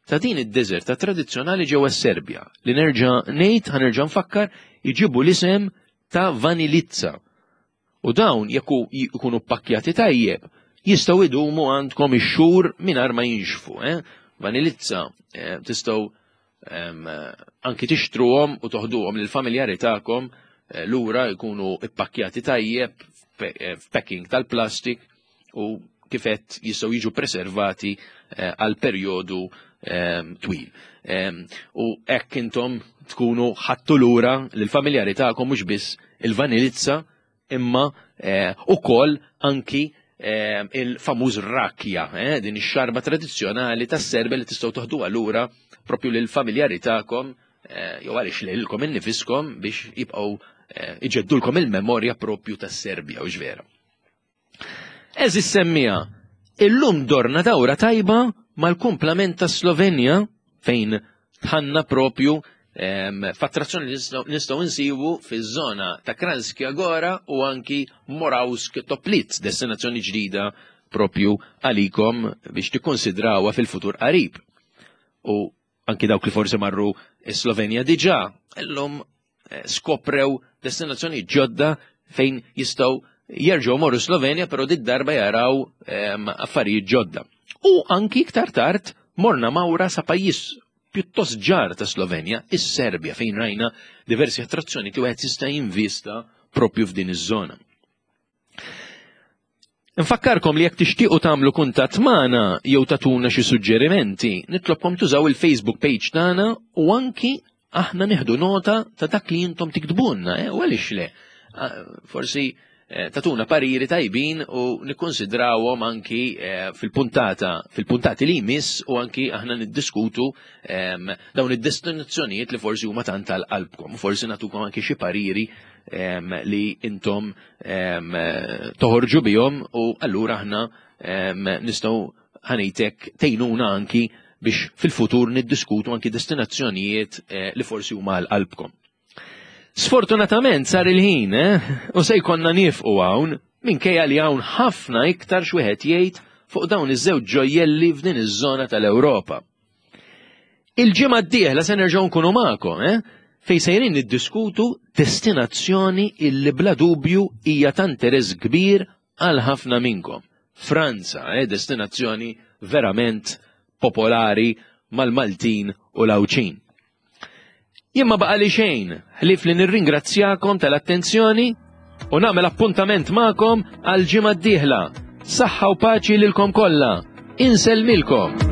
ta' din id-deżerta tradizzjonali ġewwa s-Serbja li nerġa' ngħid ħa nerġa' nfakkar iġibu l-isem ta' vanilizza. U dawn jekk ikunu ppakkjati tajjeb jistgħu idumu għandkom ix-xhur mingħajr ma jinxfu. Eh? Vanilizza eh, tistgħu anki tixtruhom u toħduhom lill-familjari tagħkom eh, lura jkunu ippakkjati tajjeb eh, f'packing tal-plastik u kifet jistgħu jiġu preservati eh, għal perjodu twil. U hekk intom tkunu ħattu lura lill-familjari tagħkom mhux biss il-vanilizza imma eh, ukoll anki eh, il-famuż rakja, eh, din ix-xarba tradizzjonali tas-Serbja li tistgħu toħduha lura propju lil familjari tagħkom jew għaliex lilkom innifiskom biex jibqgħu iġeddulkom il-memorja propju tas-Serbja u vera. Eżis semmija, illum dorna dawra tajba mal-kumplament ta' Slovenja fejn tħanna propju f'attrazzjoni li nistgħu nsibu fiż-żona ta' Kranjska Gora u anki Moravsk Toplitz, destinazzjoni ġdida propju għalikom biex tikkonsidrawha fil-futur qarib. U anki dawk li forsi marru Slovenja diġà, illum eh, skoprew destinazzjoni ġodda fejn jistgħu jerġgħu morru Slovenja, però dit darba jaraw ehm, affarijiet ġodda. U anki iktar tard morna mawra sa pajjiż pjuttost ġar ta' Slovenja, is-Serbja, fejn rajna diversi attrazzjoni li wieħed jista' jinvista propju f'din iż-żona. Nfakkarkom li jekk tixtiequ tagħmlu kuntatt magħna jew tagħtuna xi suġġerimenti, nitlobkom tużaw il-Facebook page tagħna u anki aħna nieħdu nota ta' dak li intom tiktbulna, eh, u għaliex le. Forsi eh, tatuna pariri tajbin u nikkonsidrawhom anki eh, fil-puntata, fil-puntati li jmiss u anki aħna niddiskutu ehm, dawn id-destinazzjonijiet li forsi huma tant tal-qalbkom, forsi nagħtukom anki xi pariri ehm, li intom toħorġu bihom u allura aħna nistgħu ħanejtek tgħinuna anki biex fil-futur niddiskutu anki destinazzjonijiet eh, li forsi huma għal qalbkom. Sfortunatament sar il-ħin, eh, u se jkollna niefqu hawn minkejja li hawn ħafna iktar x'wieħed jgħid fuq dawn iż-żewġ ġojjelli f'din iż-żona tal-Ewropa. Il-ġimgħa d-dieħla se nerġgħu nkunu magħkom, eh? Fejn sejrin niddiskutu destinazzjoni illi bla dubju hija ta' interess kbir għal ħafna minnkom. Franza, eh, destinazzjoni verament popolari mal-Maltin u l-Għawdxin. Jien ma baqali xejn ħlief li nirringrazzjakom tal-attenzjoni u nagħmel appuntament magħkom għal ġimgħa d-dieħla. Saħħa u paċi lilkom kollha. Insellmilkom.